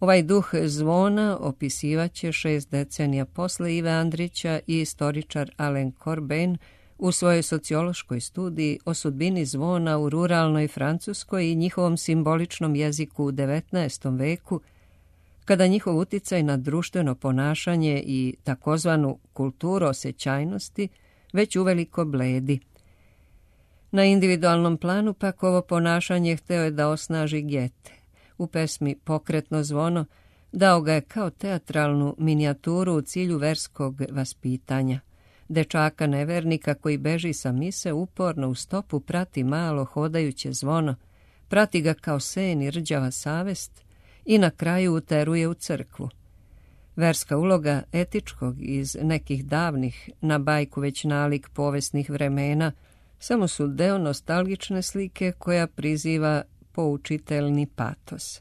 A: Ovaj duh zvona opisivaće šest decenija posle Ive Andrića i istoričar Alain Corbin u svojoj sociološkoj studiji o sudbini zvona u ruralnoj Francuskoj i njihovom simboličnom jeziku u devetnaestom veku, kada njihov uticaj na društveno ponašanje i takozvanu kulturu osjećajnosti već uveliko bledi. Na individualnom planu pak ovo ponašanje hteo je da osnaži Goethe. U pesmi Pokretno zvono dao ga je kao teatralnu minijaturu u cilju verskog vaspitanja. Dečaka nevernika koji beži sa mise uporno u stopu prati malo hodajuće zvono, prati ga kao sen i rđava savest i na kraju uteruje u crkvu. Verska uloga etičkog iz nekih davnih, na bajku već nalik povesnih vremena, samo su deo nostalgične slike koja priziva poučiteljni patos.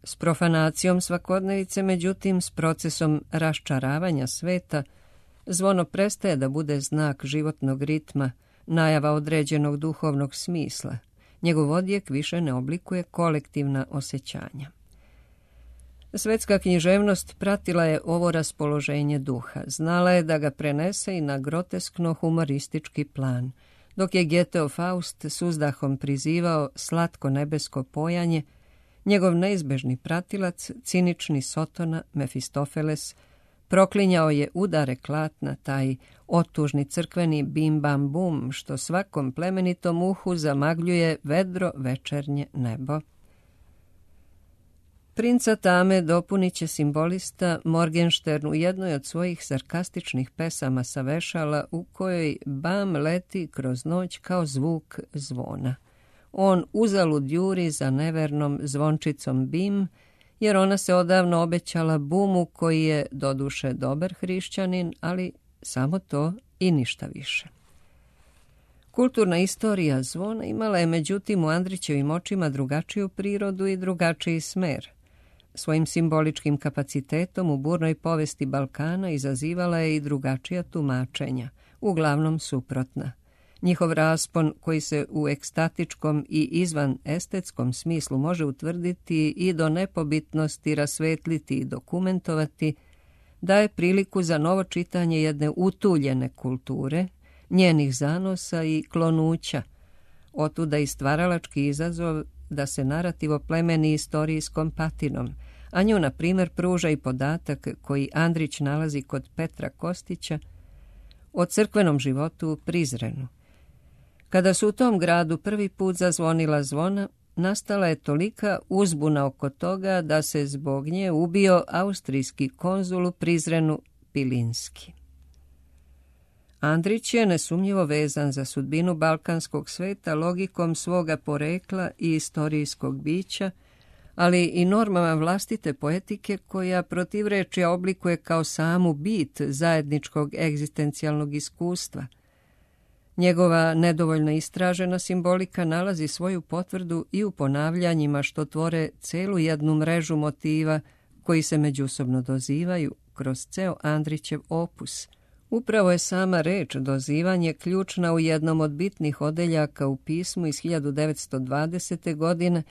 A: S profanacijom svakodnevice, međutim, s procesom raščaravanja sveta, zvono prestaje da bude znak životnog ritma, najava određenog duhovnog smisla. Njegov odjek više ne oblikuje kolektivna osjećanja. Svetska književnost pratila je ovo raspoloženje duha. Znala je da ga prenese i na groteskno humoristički plan. Dok je Goetheov Faust s uzdahom prizivao slatko nebesko pojanje, njegov neizbežni pratilac, cinični Sotona, Mefistofeles, proklinjao je udare klatna, taj otužni crkveni bim bam bum, što svakom plemenitom uhu zamagljuje vedro večernje nebo. Princa Tame dopunit će simbolista Morgenstern u jednoj od svojih sarkastičnih pesama sa vešala u kojoj bam leti kroz noć kao zvuk zvona. On uzalud juri za nevernom zvončicom bim, jer ona se odavno obećala bumu koji je doduše dobar hrišćanin, ali samo to i ništa više. Kulturna istorija zvona imala je međutim u Andrićevim očima drugačiju prirodu i drugačiji smer. Svojim simboličkim kapacitetom u burnoj povesti Balkana izazivala je i drugačija tumačenja, uglavnom suprotna. Njihov raspon, koji se u ekstatičkom i izvan estetskom smislu može utvrditi i do nepobitnosti rasvetliti i dokumentovati, daje priliku za novo čitanje jedne utuljene kulture, njenih zanosa i klonuća, otuda i stvaralački izazov da se narativ oplemeni istorijskom patinom, a nju, na primjer, pruža i podatak koji Andrić nalazi kod Petra Kostića o crkvenom životu u Prizrenu. Kada su u tom gradu prvi put zazvonila zvona, nastala je tolika uzbuna oko toga da se zbog nje ubio austrijski konzul u Prizrenu Pilinski. Andrić je nesumnjivo vezan za sudbinu balkanskog sveta logikom svoga porekla i istorijskog bića, ali i normama vlastite poetike koja protivrečja oblikuje kao samu bit zajedničkog egzistencijalnog iskustva. Njegova nedovoljno istražena simbolika nalazi svoju potvrdu i u ponavljanjima što tvore celu jednu mrežu motiva koji se međusobno dozivaju kroz ceo Andrićev opus. Upravo je sama reč dozivanje ključna u jednom od bitnih odeljaka u pismu iz hiljadu devetsto dvadesete. godine,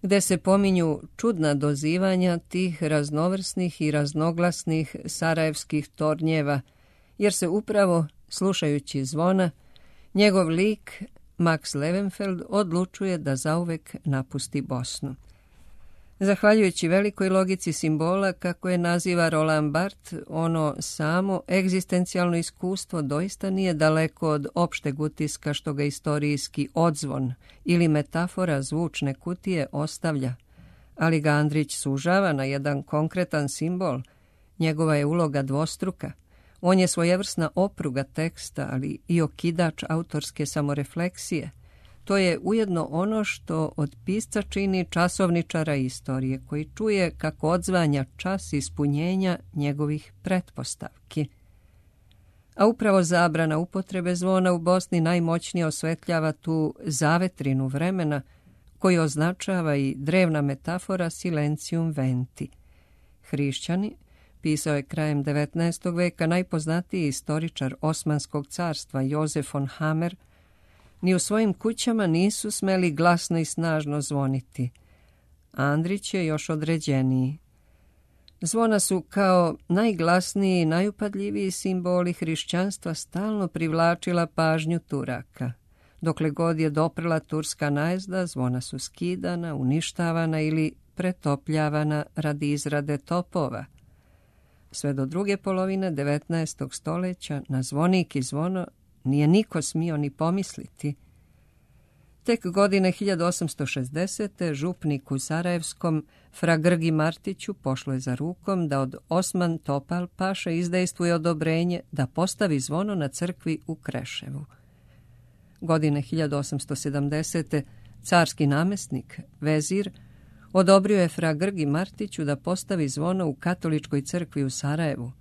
A: gde se pominju čudna dozivanja tih raznovrsnih i raznoglasnih sarajevskih tornjeva, jer se upravo, slušajući zvona, njegov lik, Max Levenfeld, odlučuje da zauvek napusti Bosnu. Zahvaljujući velikoj logici simbola, kako je naziva Roland Barthes, ono samo egzistencijalno iskustvo doista nije daleko od opšteg utiska što ga istorijski odzvon ili metafora zvučne kutije ostavlja, ali ga Andrić sužava na jedan konkretan simbol. Njegova je uloga dvostruka. On je svojevrsna opruga teksta, ali i okidač autorske samorefleksije. To je ujedno ono što od pisca čini časovničara istorije, koji čuje kako odzvanja čas ispunjenja njegovih pretpostavki. A upravo zabrana upotrebe zvona u Bosni najmoćnije osvetljava tu zavetrinu vremena, koji označava i drevna metafora silencium venti. Hrišćani, pisao je krajem devetnaestog veka najpoznatiji istoričar Osmanskog carstva Jozef von Hammer, ni u svojim kućama nisu smeli glasno i snažno zvoniti. Andrić je još određeniji. Zvona su kao najglasniji i najupadljiviji simboli hrišćanstva stalno privlačila pažnju Turaka. Dokle god je doprla turska najezda, zvona su skidana, uništavana ili pretopljavana radi izrade topova. Sve do druge polovine devetnaestog stoljeća na zvonik i zvono nije niko smio ni pomisliti. Tek godine hiljadu osamsto šezdesete. župnik u Sarajevskom, fra Grgi Martiću, pošlo je za rukom da od Osman Topal paše izdejstvuje odobrenje da postavi zvono na crkvi u Kreševu. Godine hiljadu osamsto sedamdesete. carski namestnik, vezir, odobrio je fra Grgi Martiću da postavi zvono u katoličkoj crkvi u Sarajevu.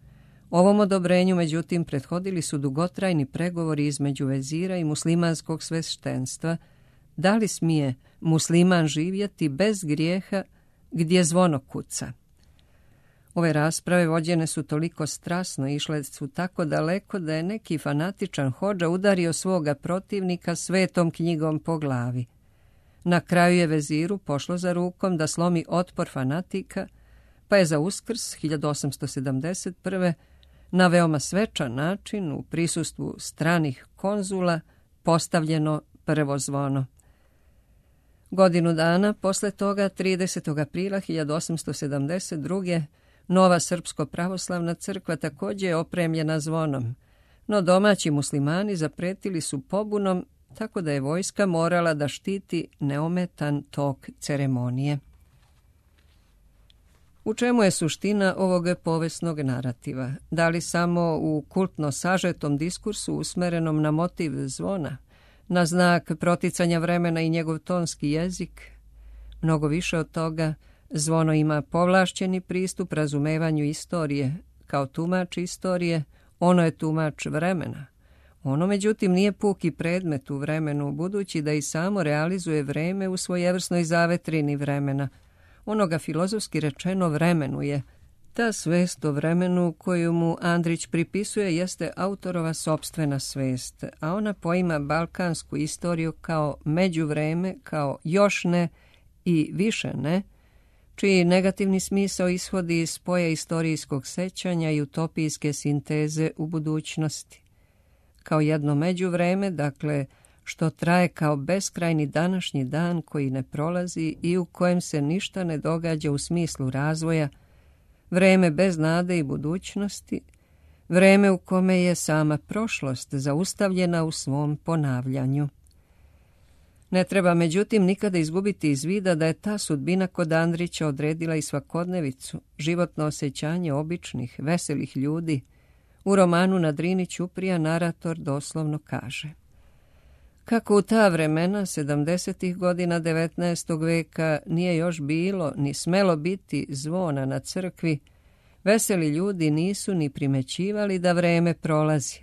A: Ovom odobrenju, međutim, prethodili su dugotrajni pregovori između vezira i muslimanskog sveštenstva, da li smije musliman živjeti bez grijeha gdje zvono kuca. Ove rasprave vođene su toliko strasno, išle su tako daleko da je neki fanatičan hodža udario svoga protivnika svetom knjigom po glavi. Na kraju je veziru pošlo za rukom da slomi otpor fanatika, pa je za Uskrs hiljadu osamsto sedamdeset prve. na veoma svečan način u prisustvu stranih konzula postavljeno prvo zvono. Godinu dana posle toga, tridesetog aprila hiljadu osamsto sedamdeset druge. nova srpsko-pravoslavna crkva također je opremljena zvonom, no domaći muslimani zapretili su pobunom, tako da je vojska morala da štiti neometan tok ceremonije. U čemu je suština ovog povesnog narativa? Da li samo u kultno sažetom diskursu usmerenom na motiv zvona, na znak proticanja vremena i njegov tonski jezik? Mnogo više od toga, zvono ima povlašćeni pristup razumevanju istorije. Kao tumač istorije, ono je tumač vremena. Ono, međutim, nije puki predmet u vremenu, budući da i samo realizuje vreme u svojevrsnoj zavetrini vremena. Ono ga filozofski rečeno vremenuje. Ta svest o vremenu koju mu Andrić pripisuje jeste autorova sopstvena svest, a ona poima balkansku istoriju kao međuvreme, kao još ne i više ne, čiji negativni smisao ishodi iz spoja istorijskog sećanja i utopijske sinteze u budućnosti. Kao jedno međuvreme, dakle, što traje kao beskrajni današnji dan koji ne prolazi i u kojem se ništa ne događa u smislu razvoja, vreme bez nade i budućnosti, vreme u kome je sama prošlost zaustavljena u svom ponavljanju. Ne treba, međutim, nikada izgubiti iz vida da je ta sudbina kod Andrića odredila i svakodnevicu, životno osjećanje običnih, veselih ljudi. U romanu Na Drini ćuprija narator doslovno kaže: kako u ta vremena, sedamdesetih godina devetnaestog veka, nije još bilo ni smelo biti zvona na crkvi, veseli ljudi nisu ni primećivali da vreme prolazi.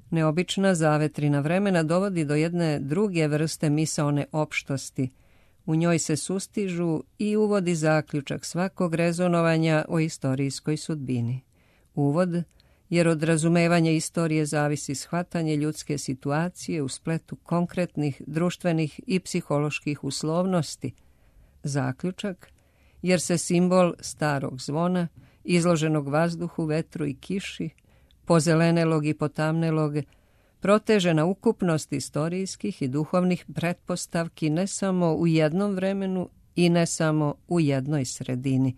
A: Neobična zavetrina vremena dovodi do jedne druge vrste misaone opštosti. U njoj se sustižu i uvodi zaključak svakog rezonovanja o istorijskoj sudbini. Uvod, jer od razumevanja istorije zavisi shvatanje ljudske situacije u spletu konkretnih, društvenih i psiholoških uslovnosti. Zaključak, jer se simbol starog zvona, izloženog vazduhu, vetru i kiši, pozelenelog i potamnelog, proteže na ukupnost istorijskih i duhovnih pretpostavki ne samo u jednom vremenu i ne samo u jednoj sredini.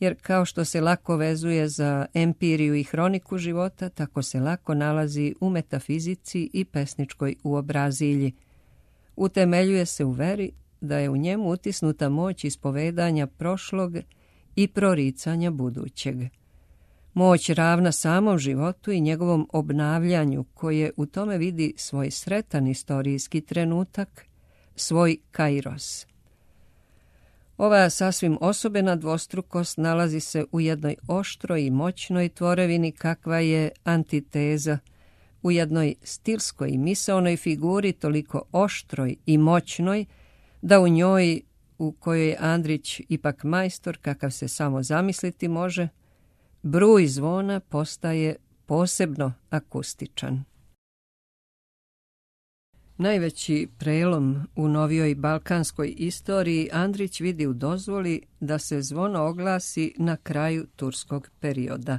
A: Jer kao što se lako vezuje za empiriju i hroniku života, tako se lako nalazi u metafizici i pesničkoj uobrazilji. Utemeljuje se u veri da je u njemu utisnuta moć ispovedanja prošlog i proricanja budućeg. Moć ravna samom životu i njegovom obnavljanju, koje u tome vidi svoj sretan istorijski trenutak, svoj kairos. Ova sasvim osobena dvostrukost nalazi se u jednoj oštroj i moćnoj tvorevini kakva je antiteza, u jednoj stilskoj i misaonoj figuri toliko oštroj i moćnoj da u njoj, u kojoj je Andrić ipak majstor kakav se samo zamisliti može, bruj zvona postaje posebno akustičan. Najveći prelom u novijoj balkanskoj istoriji Andrić vidi u dozvoli da se zvono oglasi na kraju turskog perioda.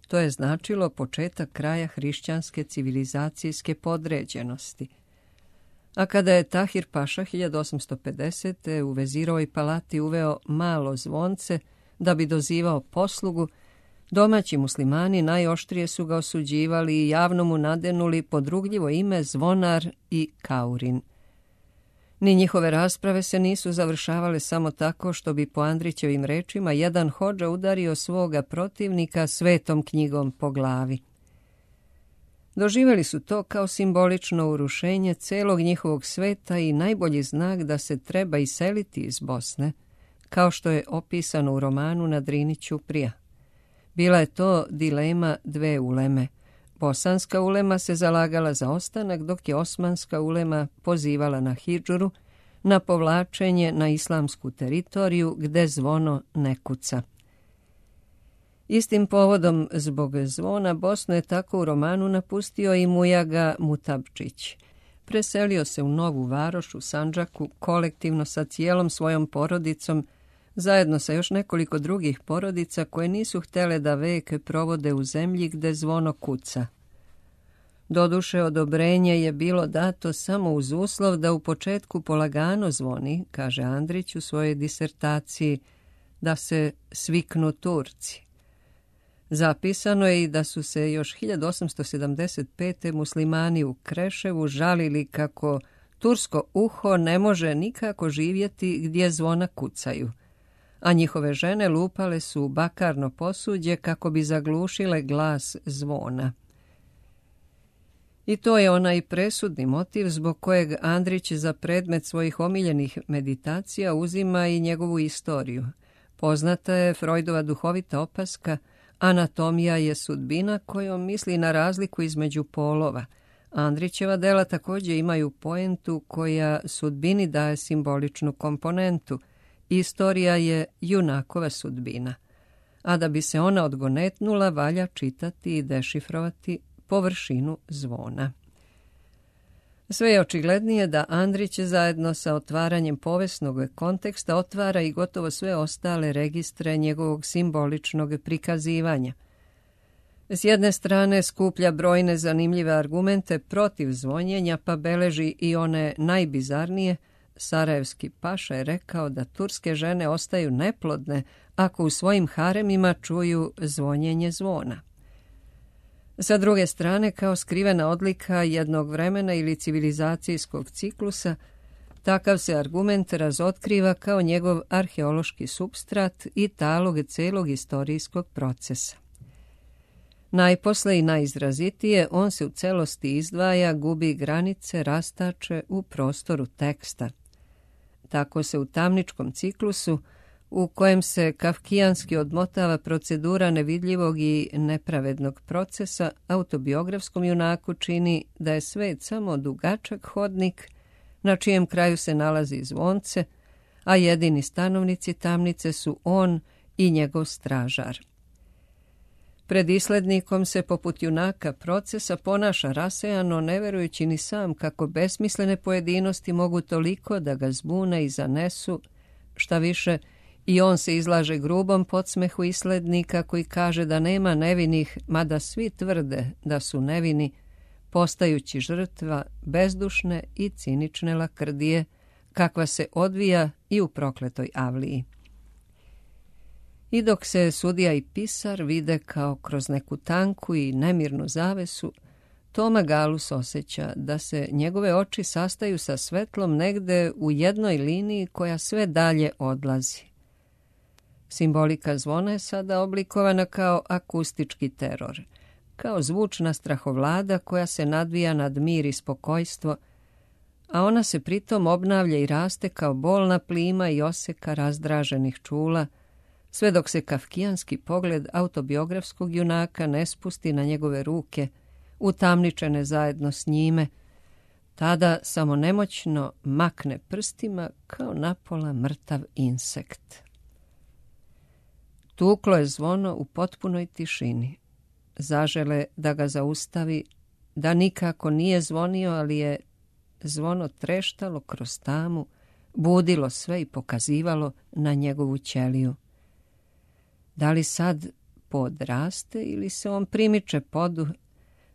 A: To je značilo početak kraja hrišćanske civilizacijske podređenosti. A kada je Tahir Paša hiljadu osamsto pedesete u Vezirovoj palati uveo malo zvonce da bi dozivao poslugu, domaći muslimani najoštrije su ga osuđivali i javno mu nadenuli podrugljivo ime zvonar i kaurin. Ni njihove rasprave se nisu završavale samo tako što bi po Andrićevim rečima jedan hodža udario svoga protivnika svetom knjigom po glavi. Doživjeli su to kao simbolično urušenje celog njihovog sveta i najbolji znak da se treba iseliti iz Bosne, kao što je opisano u romanu Na Drini ćuprija. Bila je to dilema dve uleme. Bosanska ulema se zalagala za ostanak, dok je osmanska ulema pozivala na hidžuru, na povlačenje na islamsku teritoriju gde zvono ne kuca. Istim povodom zbog zvona Bosnu je tako u romanu napustio i Mujaga Mutabčić. Preselio se u Novu Varoš u Sandžaku kolektivno sa cijelom svojom porodicom, zajedno sa još nekoliko drugih porodica koje nisu htjele da vek provode u zemlji gde zvono kuca. Doduše, odobrenje je bilo dato samo uz uslov da u početku polagano zvoni, kaže Andrić u svojoj disertaciji, da se sviknu Turci. Zapisano je i da su se još hiljadu osamsto sedamdeset pete muslimani u Kreševu žalili kako tursko uho ne može nikako živjeti gdje zvona kucaju, a njihove žene lupale su u bakarno posuđe kako bi zaglušile glas zvona. I to je onaj presudni motiv zbog kojeg Andrić za predmet svojih omiljenih meditacija uzima i njegovu istoriju. Poznata je Freudova duhovita opaska anatomija je sudbina, kojom misli na razliku između polova. Andrićeva dela također imaju poentu koja sudbini daje simboličnu komponentu. Istorija je junakova sudbina, a da bi se ona odgonetnula valja čitati i dešifrovati površinu zvona. Sve je očiglednije da Andrić zajedno sa otvaranjem povesnog konteksta otvara i gotovo sve ostale registre njegovog simboličnog prikazivanja. S jedne strane skuplja brojne zanimljive argumente protiv zvonjenja, pa beleži i one najbizarnije. Sarajevski paša je rekao da turske žene ostaju neplodne ako u svojim haremima čuju zvonjenje zvona. Sa druge strane, kao skrivena odlika jednog vremena ili civilizacijskog ciklusa, takav se argument razotkriva kao njegov arheološki supstrat i talog celog istorijskog procesa. Najposle i najizrazitije on se u celosti izdvaja, gubi granice, rastače u prostoru teksta. Tako se u tamničkom ciklusu, u kojem se kafkijanski odmotava procedura nevidljivog i nepravednog procesa, autobiografskom junaku čini da je svet samo dugačak hodnik, na čijem kraju se nalazi zvonce, a jedini stanovnici tamnice su on i njegov stražar. Pred islednikom se poput junaka procesa ponaša rasejano, ne verujući ni sam kako besmislene pojedinosti mogu toliko da ga zbune i zanesu, šta više, i on se izlaže grubom podsmehu islednika koji kaže da nema nevinih, mada svi tvrde da su nevini, postajući žrtva bezdušne i cinične lakrdije, kakva se odvija i u prokletoj avliji. I dok se sudija i pisar vide kao kroz neku tanku i nemirnu zavesu, Toma Galus osjeća da se njegove oči sastaju sa svetlom negde u jednoj liniji koja sve dalje odlazi. Simbolika zvona je sada oblikovana kao akustički teror, kao zvučna strahovlada koja se nadvija nad mir i spokojstvo, a ona se pritom obnavlja i raste kao bolna plima i oseka razdraženih čula, sve dok se kafkijanski pogled autobiografskog junaka ne spusti na njegove ruke, utamničene zajedno s njime, tada samo nemoćno makne prstima kao napola mrtav insekt. Tuklo je zvono u potpunoj tišini. Zažele da ga zaustavi, da nikako nije zvonio, ali je zvono treštalo kroz tamu, budilo sve i pokazivalo na njegovu ćeliju. Da li sad pod raste ili se on primiče podu,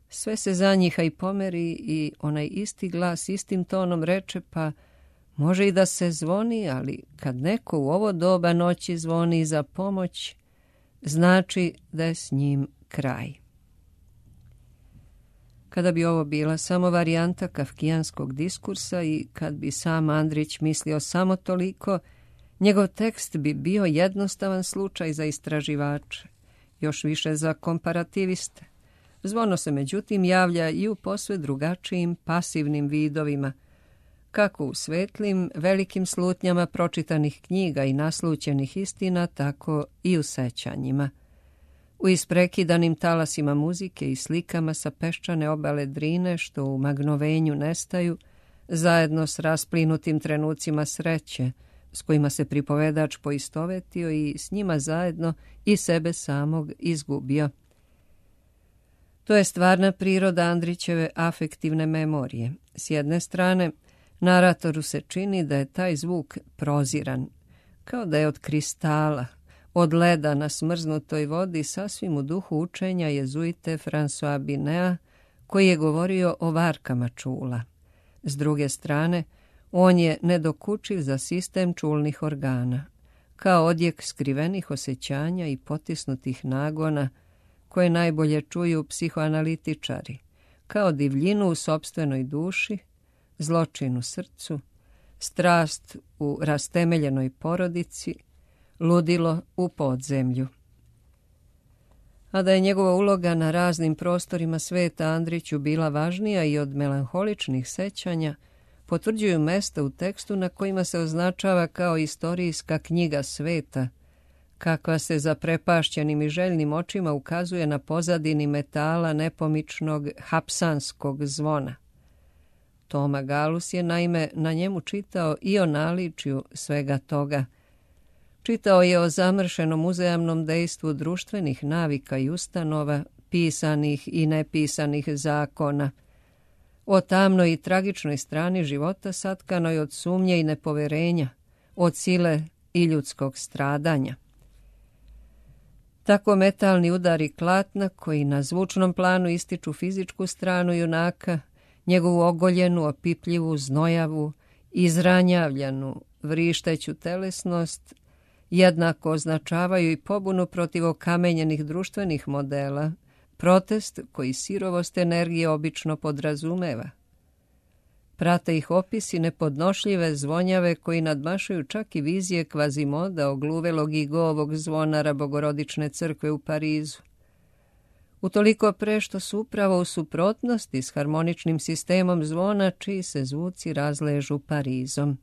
A: sve se zanjiha i pomeri i onaj isti glas istim tonom reče, pa može i da se zvoni, ali kad neko u ovo doba noći zvoni za pomoć, znači da je s njim kraj. Kada bi ovo bila samo varijanta kafkijanskog diskursa i kad bi sam Andrić mislio samo toliko, njegov tekst bi bio jednostavan slučaj za istraživače, još više za komparativiste. Zvono se međutim javlja i u posve drugačijim pasivnim vidovima, kako u svetlim, velikim slutnjama pročitanih knjiga i naslućenih istina, tako i u sećanjima. U isprekidanim talasima muzike i slikama sa peščane obale Drine, što u magnovenju nestaju, zajedno s rasplinutim trenucima sreće, s kojima se pripovedač poistovetio i s njima zajedno i sebe samog izgubio. To je stvarna priroda Andrićeve afektivne memorije. S jedne strane, naratoru se čini da je taj zvuk proziran, kao da je od kristala, od leda na smrznutoj vodi, sasvim u duhu učenja jezuite François Binea, koji je govorio o varkama čula. S druge strane, on je nedokučiv za sistem čulnih organa, kao odjek skrivenih osjećanja i potisnutih nagona, koje najbolje čuju psihoanalitičari, kao divljinu u sopstvenoj duši, zločin u srcu, strast u rastemeljenoj porodici, ludilo u podzemlju. A da je njegova uloga na raznim prostorima sveta Andriću bila važnija i od melanholičnih sećanja, potvrđuju mesta u tekstu na kojima se označava kao istorijska knjiga sveta, kakva se zaprepašćenim i željnim očima ukazuje na pozadini metala nepomičnog hapsanskog zvona. Toma Galus je naime na njemu čitao i o naličju svega toga. Čitao je o zamršenom uzajamnom dejstvu društvenih navika i ustanova, pisanih i nepisanih zakona, o tamnoj i tragičnoj strani života satkanoj od sumnje i nepoverenja, od sile i ljudskog stradanja. Tako metalni udari klatna koji na zvučnom planu ističu fizičku stranu junaka, njegovu ogoljenu, opipljivu, znojavu, izranjavljanu, vrišteću telesnost, jednako označavaju i pobunu protiv okamenjenih društvenih modela, protest koji sirovost energije obično podrazumeva. Prate ih opisi nepodnošljive zvonjave koji nadmašuju čak i vizije Kvazimoda ogluvelog i govog zvonara Bogorodične crkve u Parizu. Utoliko pre što su upravo u suprotnosti s harmoničnim sistemom zvona čiji se zvuci razležu Parizom.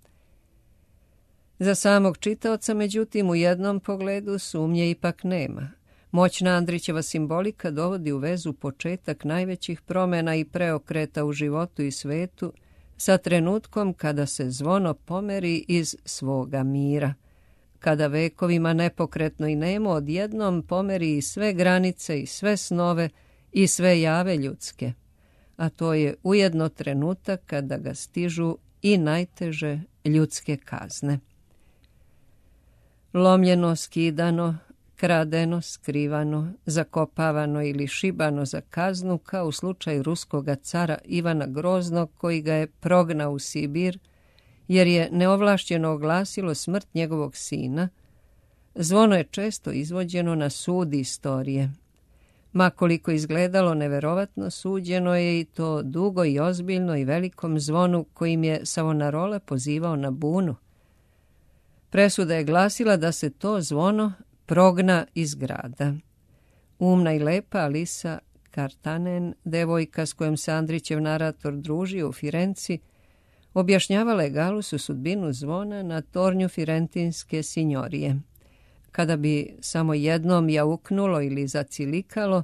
A: Za samog čitaoca, međutim, u jednom pogledu sumnje ipak nema. Moćna Andrićeva simbolika dovodi u vezu početak najvećih promjena i preokreta u životu i svetu sa trenutkom kada se zvono pomeri iz svoga mira, kada vekovima nepokretno i nemo odjednom pomeri i sve granice i sve snove i sve jave ljudske, a to je ujedno trenutak kada ga stižu i najteže ljudske kazne. Lomljeno, skidano, kradeno, skrivano, zakopavano ili šibano za kaznu, kao u slučaju ruskoga cara Ivana Groznog koji ga je prognao u Sibir, jer je neovlašćeno oglasilo smrt njegovog sina, zvono je često izvođeno na sud istorije. Makoliko izgledalo neverovatno, suđeno je i to dugo i ozbiljno i velikom zvonu kojim je Savonarola pozivao na bunu. Presuda je glasila da se to zvono progna iz grada. Umna i lepa Alisa Kartanen, devojka s kojom se Andrićev narator družio u Firenci, objašnjavala je Galusu sudbinu zvona na tornju firentinske sinjorije. Kada bi samo jednom jauknulo ili zacilikalo,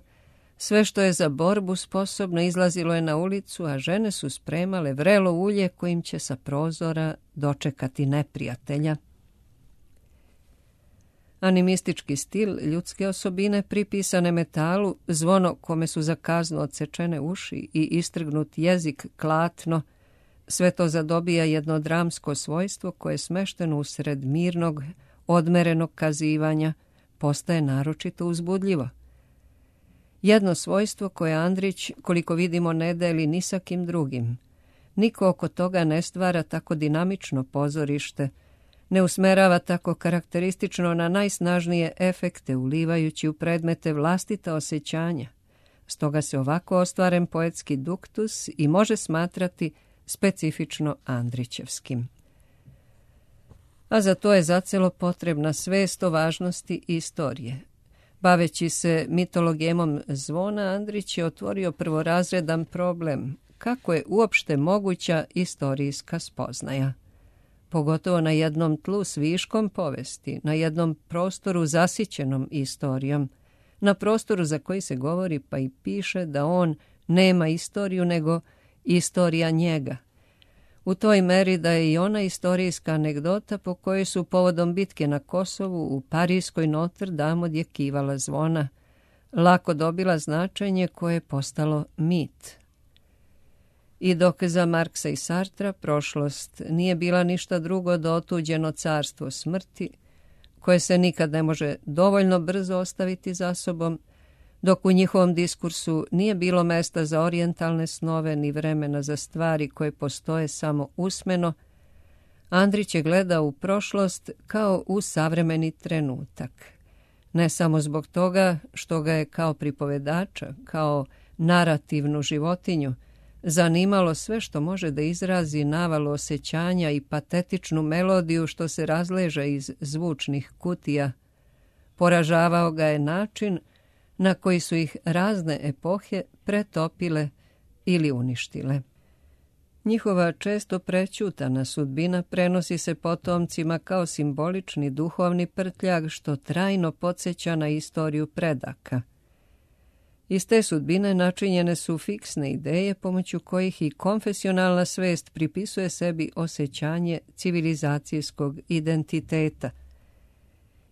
A: sve što je za borbu sposobno izlazilo je na ulicu, a žene su spremale vrelo ulje kojim će sa prozora dočekati neprijatelja. Animistički stil ljudske osobine pripisane metalu, zvono kome su za kaznu odsečene uši i istrgnut jezik klatno, sve to zadobija jedno dramsko svojstvo koje je smešteno usred mirnog, odmerenog kazivanja, postaje naročito uzbudljivo. Jedno svojstvo koje Andrić, koliko vidimo, ne deli ni sa kim drugim. Niko oko toga ne stvara tako dinamično pozorište, ne usmerava tako karakteristično na najsnažnije efekte, ulivajući u predmete vlastita osjećanja. Stoga se ovako ostvaren poetski duktus i može smatrati specifično Andrićevskim. A za to je zacelo potrebna svest o važnosti istorije. Baveći se mitologijemom zvona, Andrić je otvorio prvorazredan problem kako je uopšte moguća istorijska spoznaja. Pogotovo na jednom tlu s viškom povesti, na jednom prostoru zasićenom istorijom, na prostoru za koji se govori pa i piše da on nema istoriju nego istorija njega. U toj meri da je i ona istorijska anegdota po kojoj su povodom bitke na Kosovu u parijskoj Notre Dame odjekivala zvona, lako dobila značenje koje je postalo mit. I dok za Marksa i Sartra prošlost nije bila ništa drugo do otuđeno carstvo smrti, koje se nikad ne može dovoljno brzo ostaviti za sobom, dok u njihovom diskursu nije bilo mesta za orijentalne snove ni vremena za stvari koje postoje samo usmeno, Andrić je gledao u prošlost kao u savremeni trenutak. Ne samo zbog toga što ga je kao pripovedača, kao narativnu životinju, zanimalo sve što može da izrazi navalu osjećanja i patetičnu melodiju što se razleže iz zvučnih kutija. Poražavao ga je način na koji su ih razne epohe pretopile ili uništile. Njihova često prećutana sudbina prenosi se potomcima kao simbolični duhovni prtljag što trajno podsjeća na istoriju predaka. Iz te sudbine načinjene su fiksne ideje pomoću kojih i konfesionalna svest pripisuje sebi osjećanje civilizacijskog identiteta.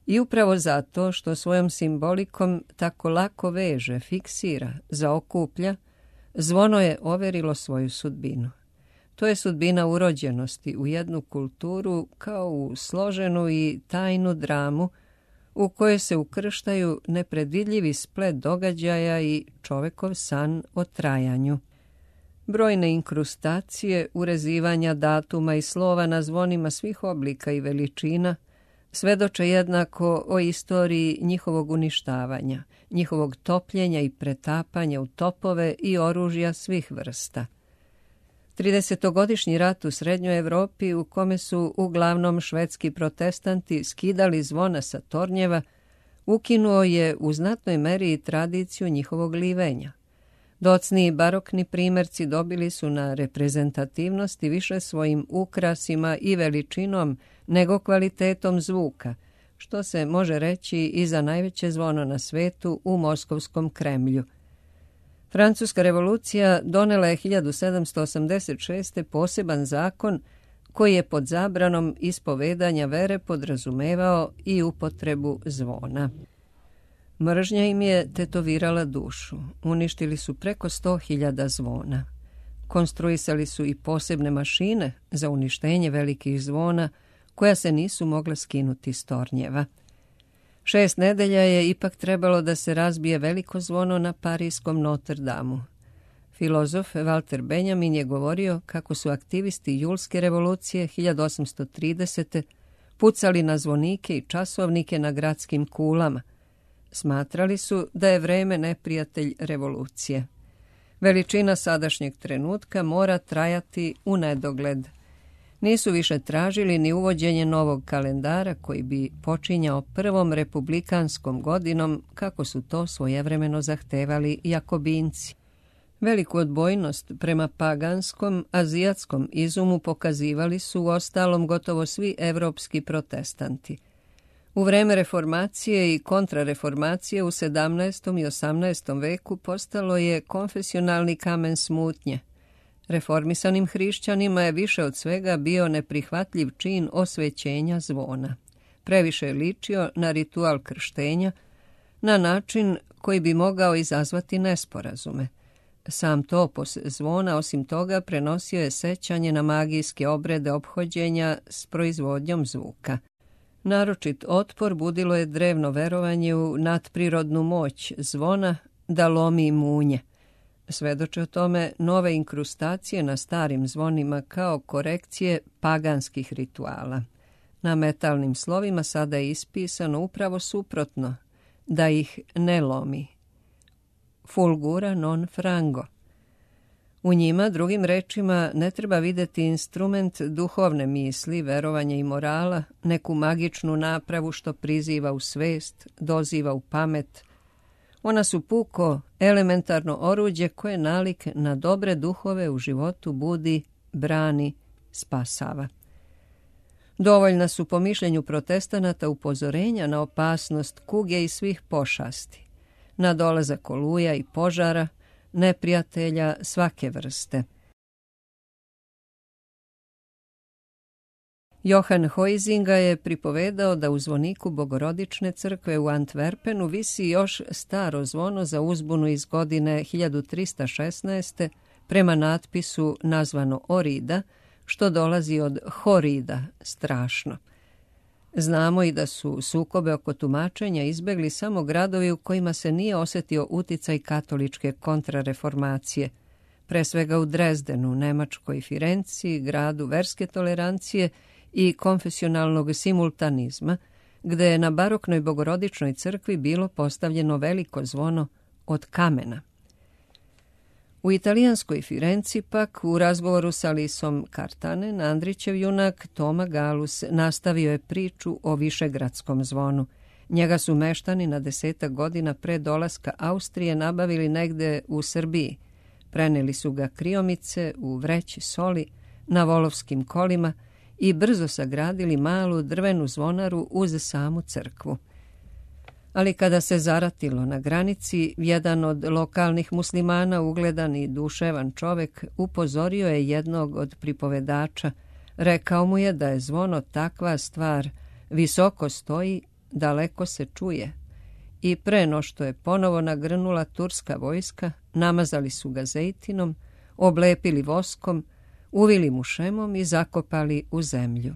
A: I upravo zato što svojom simbolikom tako lako veže, fiksira, zaokuplja, zvono je overilo svoju sudbinu. To je sudbina urođenosti u jednu kulturu kao u složenu i tajnu dramu u kojoj se ukrštaju nepredvidljivi splet događaja i čovekov san o trajanju. Brojne inkrustacije, urezivanja datuma i slova na zvonima svih oblika i veličina svedoče jednako o istoriji njihovog uništavanja, njihovog topljenja i pretapanja u topove i oružja svih vrsta. Tridesetogodišnji rat u Srednjoj Evropi, u kome su uglavnom švedski protestanti skidali zvona sa tornjeva, ukinuo je u znatnoj meri i tradiciju njihovog livenja. Docni i barokni primjerci dobili su na reprezentativnosti više svojim ukrasima i veličinom nego kvalitetom zvuka, što se može reći i za najveće zvono na svetu u Moskovskom Kremlju. Francuska revolucija donela je hiljadu sedamsto osamdeset šeste. poseban zakon koji je pod zabranom ispovedanja vere podrazumevao i upotrebu zvona. Mržnja im je tetovirala dušu. Uništili su preko sto hiljada zvona. Konstruisali su i posebne mašine za uništenje velikih zvona koja se nisu mogla skinuti s tornjeva. Šest nedelja je ipak trebalo da se razbije veliko zvono na parijskom Notre Damu. Filozof Walter Benjamin je govorio kako su aktivisti julske revolucije hiljadu osamsto tridesete. pucali na zvonike i časovnike na gradskim kulama. Smatrali su da je vreme neprijatelj revolucije. Veličina sadašnjeg trenutka mora trajati u nedogled. Nisu više tražili ni uvođenje novog kalendara koji bi počinjao prvom republikanskom godinom kako su to svojevremeno zahtevali Jakobinci. Veliku odbojnost prema paganskom, azijatskom izumu pokazivali su u ostalom gotovo svi evropski protestanti. U vreme reformacije i kontrareformacije u sedamnaestom i osamnaestom veku postalo je konfesionalni kamen smutnje. Reformisanim hrišćanima je više od svega bio neprihvatljiv čin osvećenja zvona. Previše je ličio na ritual krštenja, na način koji bi mogao izazvati nesporazume. Sam topos zvona, osim toga, prenosio je sećanje na magijske obrede ophođenja s proizvodnjom zvuka. Naročit otpor budilo je drevno verovanje u nadprirodnu moć zvona da lomi munje. Svedoče o tome nove inkrustacije na starim zvonima kao korekcije paganskih rituala. Na metalnim slovima sada je ispisano upravo suprotno, da ih ne lomi. Fulgura non frango. U njima, drugim rečima, ne treba videti instrument duhovne misli, verovanja i morala, neku magičnu napravu što priziva u svest, doziva u pamet. Ona su puko, elementarno oruđe koje nalik na dobre duhove u životu budi, brani, spasava. Dovoljna su po mišljenju protestanata upozorenja na opasnost kuge i svih pošasti, na dolazak oluja i požara, neprijatelja svake vrste. Johan Huizinga je pripovedao da u zvoniku Bogorodične crkve u Antwerpenu visi još staro zvono za uzbunu iz godine hiljadu trista šesnaeste. prema natpisu nazvano Orida, što dolazi od Horida, strašno. Znamo i da su sukobe oko tumačenja izbegli samo gradovi u kojima se nije osjetio uticaj katoličke kontrareformacije, pre svega u Drezdenu, Nemačkoj Firenci, gradu verske tolerancije i konfesionalnog simultanizma, gde je na baroknoj Bogorodičnoj crkvi bilo postavljeno veliko zvono od kamena. U italijanskoj Firenci pak u razgovoru sa Alisom Kartanen, Andrićev junak Toma Galus nastavio je priču o višegradskom zvonu. Njega su meštani na desetak godina pre dolaska Austrije nabavili negde u Srbiji. Preneli su ga kriomice u vreći soli na volovskim kolima i brzo sagradili malu drvenu zvonaru uz samu crkvu. Ali kada se zaratilo na granici, jedan od lokalnih muslimana, ugledan i duševan čovek, upozorio je jednog od pripovedača. Rekao mu je da je zvono takva stvar, visoko stoji, daleko se čuje. I pre no što je ponovo nagrnula turska vojska, namazali su ga zejtinom, oblepili voskom, uvili mu šemom i zakopali u zemlju.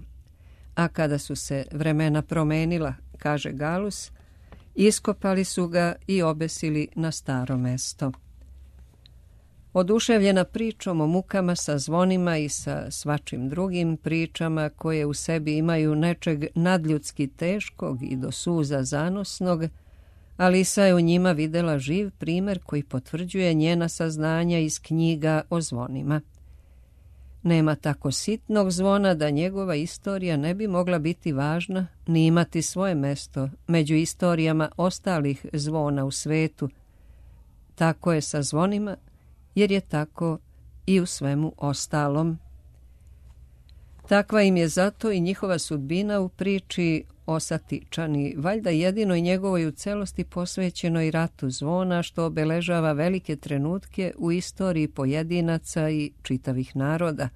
A: A kada su se vremena promenila, kaže Galus, iskopali su ga i obesili na staro mesto. Oduševljena pričom o mukama sa zvonima i sa svačim drugim pričama koje u sebi imaju nečeg nadljudski teškog i do suza zanosnog, Alisa je u njima videla živ primer koji potvrđuje njena saznanja iz knjiga o zvonima. Nema tako sitnog zvona da njegova istorija ne bi mogla biti važna ni imati svoje mesto među istorijama ostalih zvona u svetu. Tako je sa zvonima, jer je tako i u svemu ostalom. Takva im je zato i njihova sudbina u priči o Satičani, valjda jedinoj njegovoj u celosti posvećenoj ratu zvona, što obeležava velike trenutke u istoriji pojedinaca i čitavih naroda.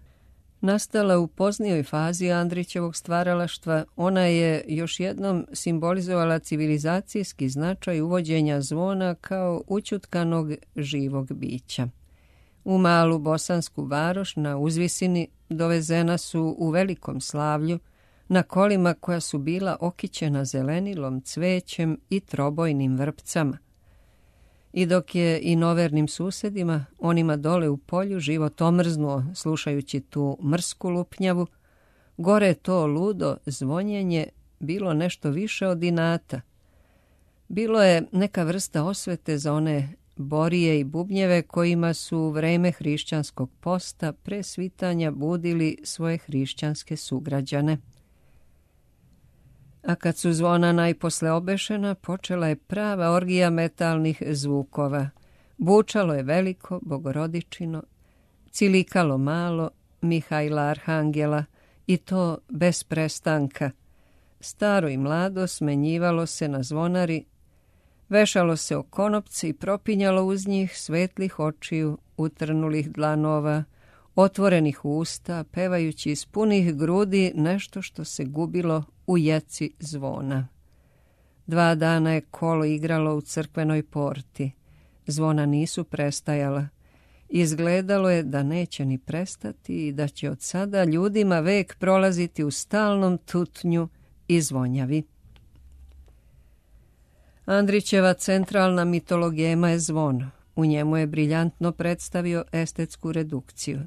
A: Nastala u poznijoj fazi Andrićevog stvaralaštva, ona je još jednom simbolizovala civilizacijski značaj uvođenja zvona kao ućutkanog živog bića. U malu bosansku varoš na uzvisini dovezena su u velikom slavlju na kolima koja su bila okićena zelenilom, cvećem i trobojnim vrpcama. I dok je i novernim susedima, onima dole u polju, život omrznuo slušajući tu mrsku lupnjavu, gore to ludo zvonjenje bilo nešto više od inata. Bilo je neka vrsta osvete za one borije i bubnjeve kojima su u vreme hrišćanskog posta pre svitanja budili svoje hrišćanske sugrađane. A kad su zvona najposle obešena, počela je prava orgija metalnih zvukova. Bučalo je veliko, bogorodičino, cilikalo malo, Mihajla Arhangela, i to bez prestanka. Staro i mlado smenjivalo se na zvonari, vešalo se o konopci i propinjalo uz njih svetlih očiju, utrnulih dlanova, otvorenih usta, pevajući iz punih grudi nešto što se gubilo u jeci zvona. Dva dana je kolo igralo u crkvenoj porti. Zvona nisu prestajala. Izgledalo je da neće ni prestati i da će od sada ljudima vek prolaziti u stalnom tutnju i zvonjavi. Andrićeva centralna mitologema je zvon. U njemu je briljantno predstavio estetsku redukciju.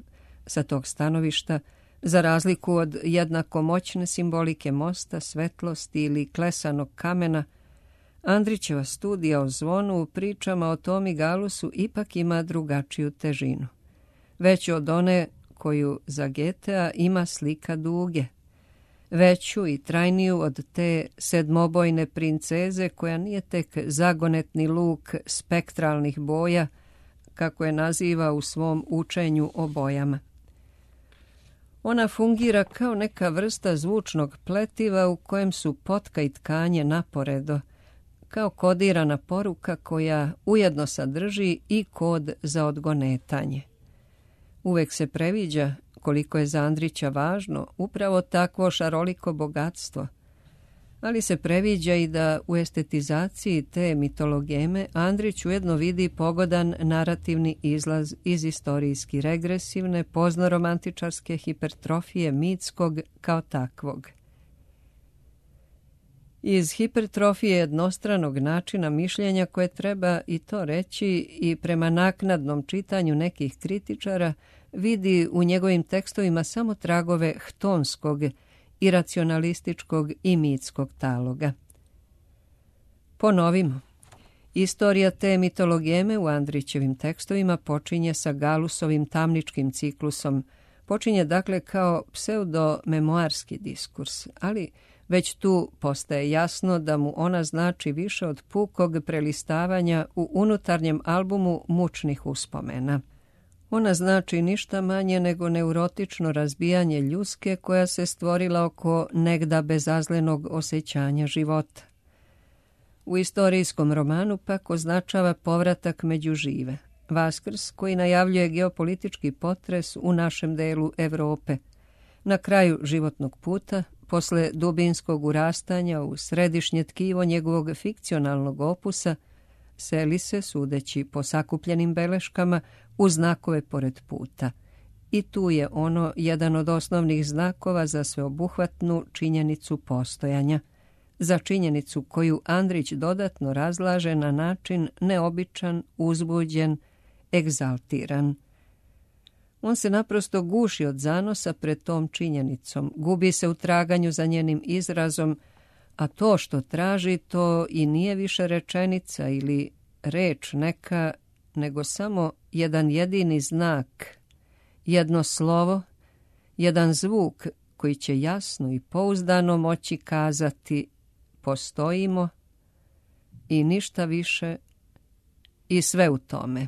A: Sa tog stanovišta, za razliku od jednako moćne simbolike mosta, svetlosti ili klesanog kamena, Andrićeva studija o zvonu u pričama o Tomi Galusu ipak ima drugačiju težinu. Veću od one koju za Goethea ima slika Duge. Veću i trajniju od te sedmobojne princeze koja nije tek zagonetni luk spektralnih boja, kako je naziva u svom učenju o bojama. Ona fungira kao neka vrsta zvučnog pletiva u kojem su potka i tkanje naporedo, kao kodirana poruka koja ujedno sadrži i kod za odgonetanje. Uvek se previđa, koliko je za Andrića važno, upravo takvo šaroliko bogatstvo, ali se previđa i da u estetizaciji te mitologeme Andrić ujedno vidi pogodan narativni izlaz iz istorijski regresivne, poznoromantičarske hipertrofije mitskog kao takvog. Iz hipertrofije jednostranog načina mišljenja koje treba i to reći i prema naknadnom čitanju nekih kritičara vidi u njegovim tekstovima samo tragove htonskog, iracionalističkog i mitskog taloga. Ponovimo, Istorija te mitologeme u Andrićevim tekstovima počinje sa Galusovim tamničkim ciklusom. Počinje dakle kao pseudo-memoarski diskurs, ali već tu postaje jasno da mu ona znači više od pukog prelistavanja u unutarnjem albumu mučnih uspomena. Ona znači ništa manje nego neurotično razbijanje ljuske koja se stvorila oko negda bezazlenog osjećanja života. U istorijskom romanu pak označava povratak među žive, Vaskrs koji najavljuje geopolitički potres u našem delu Europe. Na kraju životnog puta, posle dubinskog urastanja u središnje tkivo njegovog fikcionalnog opusa, seli se, sudeći po sakupljenim beleškama, u znakove pored puta. I tu je ono jedan od osnovnih znakova za sveobuhvatnu činjenicu postojanja, za činjenicu koju Andrić dodatno razlaže na način neobičan, uzbuđen, egzaltiran. On se naprosto guši od zanosa pred tom činjenicom, gubi se u traganju za njenim izrazom, a to što traži to i nije više rečenica ili reč neka, nego samo jedan jedini znak, jedno slovo, jedan zvuk koji će jasno i pouzdano moći kazati postojimo i ništa više i sve u tome.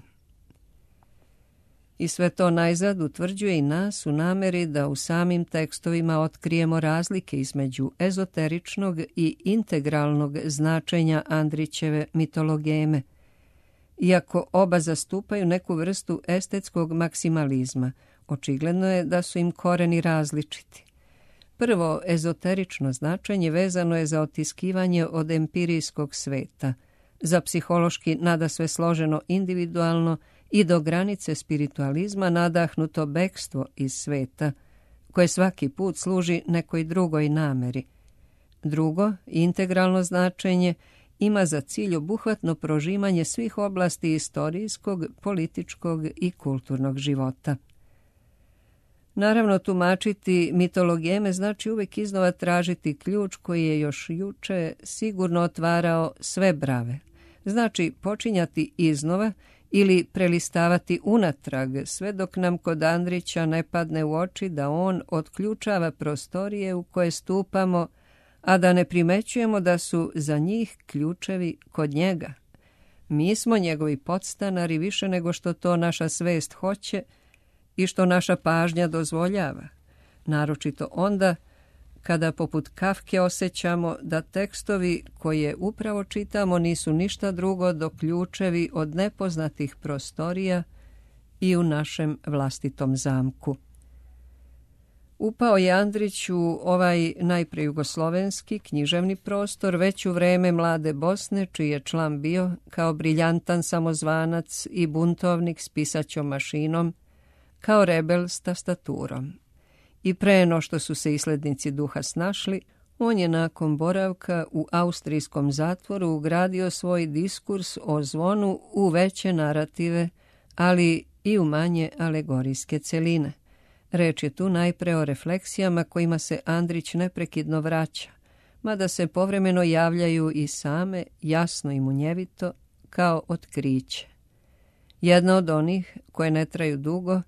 A: I sve to najzad utvrđuje i nas u nameri da u samim tekstovima otkrijemo razlike između ezoteričnog i integralnog značenja Andrićeve mitologeme. Iako oba zastupaju neku vrstu estetskog maksimalizma, očigledno je da su im koreni različiti. Prvo, ezoterično značenje vezano je za otiskivanje od empirijskog sveta, za psihološki nadasve složeno individualno i do granice spiritualizma nadahnuto bekstvo iz sveta, koje svaki put služi nekoj drugoj nameri. Drugo, integralno značenje ima za cilj obuhvatno prožimanje svih oblasti istorijskog, političkog i kulturnog života. Naravno, tumačiti mitologeme znači uvijek iznova tražiti ključ koji je još juče sigurno otvarao sve brave. Znači počinjati iznova ili prelistavati unatrag, sve dok nam kod Andrića ne padne u oči da on otključava prostorije u koje stupamo, a da ne primećujemo da su za njih ključevi kod njega. Mi smo njegovi podstanari više nego što to naša svest hoće i što naša pažnja dozvoljava, naročito onda kada poput Kafke osjećamo da tekstovi koje upravo čitamo nisu ništa drugo do ključevi od nepoznatih prostorija i u našem vlastitom zamku. Upao je Andrić u ovaj najpre jugoslovenski književni prostor već u vreme mlade Bosne, čiji je član bio kao briljantan samozvanac i buntovnik s pisaćom mašinom, kao rebel s tastaturom. I pre no što su se islednici duha snašli, on je nakon boravka u austrijskom zatvoru ugradio svoj diskurs o zvonu u veće narative, ali i u manje alegorijske celine. Reč je tu najpre o refleksijama kojima se Andrić neprekidno vraća, mada se povremeno javljaju i same, jasno i munjevito, kao otkriće. Jedna od onih koje ne traju dugo,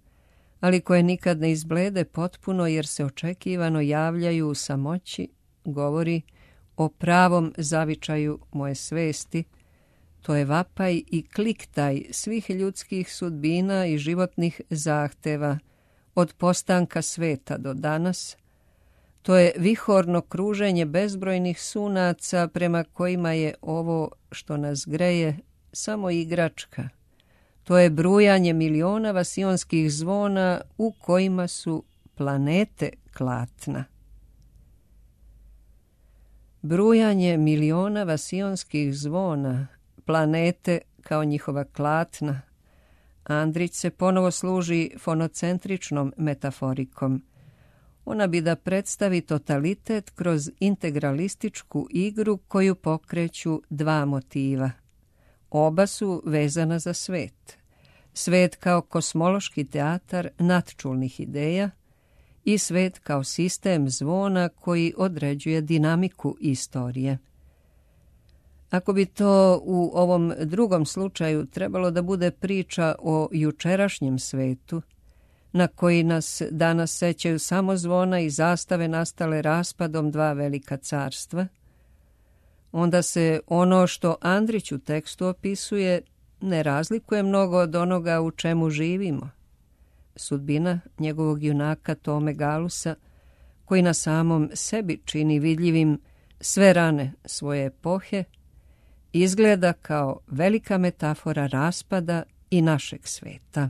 A: ali koje nikad ne izblede potpuno jer se očekivano javljaju u samoći, govori o pravom zavičaju moje svesti. To je vapaj i kliktaj svih ljudskih sudbina i životnih zahteva, od postanka sveta do danas. To je vihorno kruženje bezbrojnih sunaca prema kojima je ovo što nas greje samo igračka. To je brujanje miliona vasionskih zvona u kojima su planete klatna. Brujanje miliona vasionskih zvona, planete kao njihova klatna. Andrić se ponovo služi fonocentričnom metaforikom. Ona bi da predstavi totalitet kroz integralističku igru koju pokreću dva motiva. Oba su vezana za svet. Svet kao kosmološki teatar nadčulnih ideja i svet kao sistem zvona koji određuje dinamiku istorije. Ako bi to u ovom drugom slučaju trebalo da bude priča o jučerašnjem svetu, na koji nas danas sećaju samo zvona i zastave nastale raspadom dva velika carstva, onda se ono što Andrić u tekstu opisuje ne razlikuje mnogo od onoga u čemu živimo. Sudbina njegovog junaka Tome Galusa, koji na samom sebi čini vidljivim sve rane svoje epohe, izgleda kao velika metafora raspada i našeg sveta.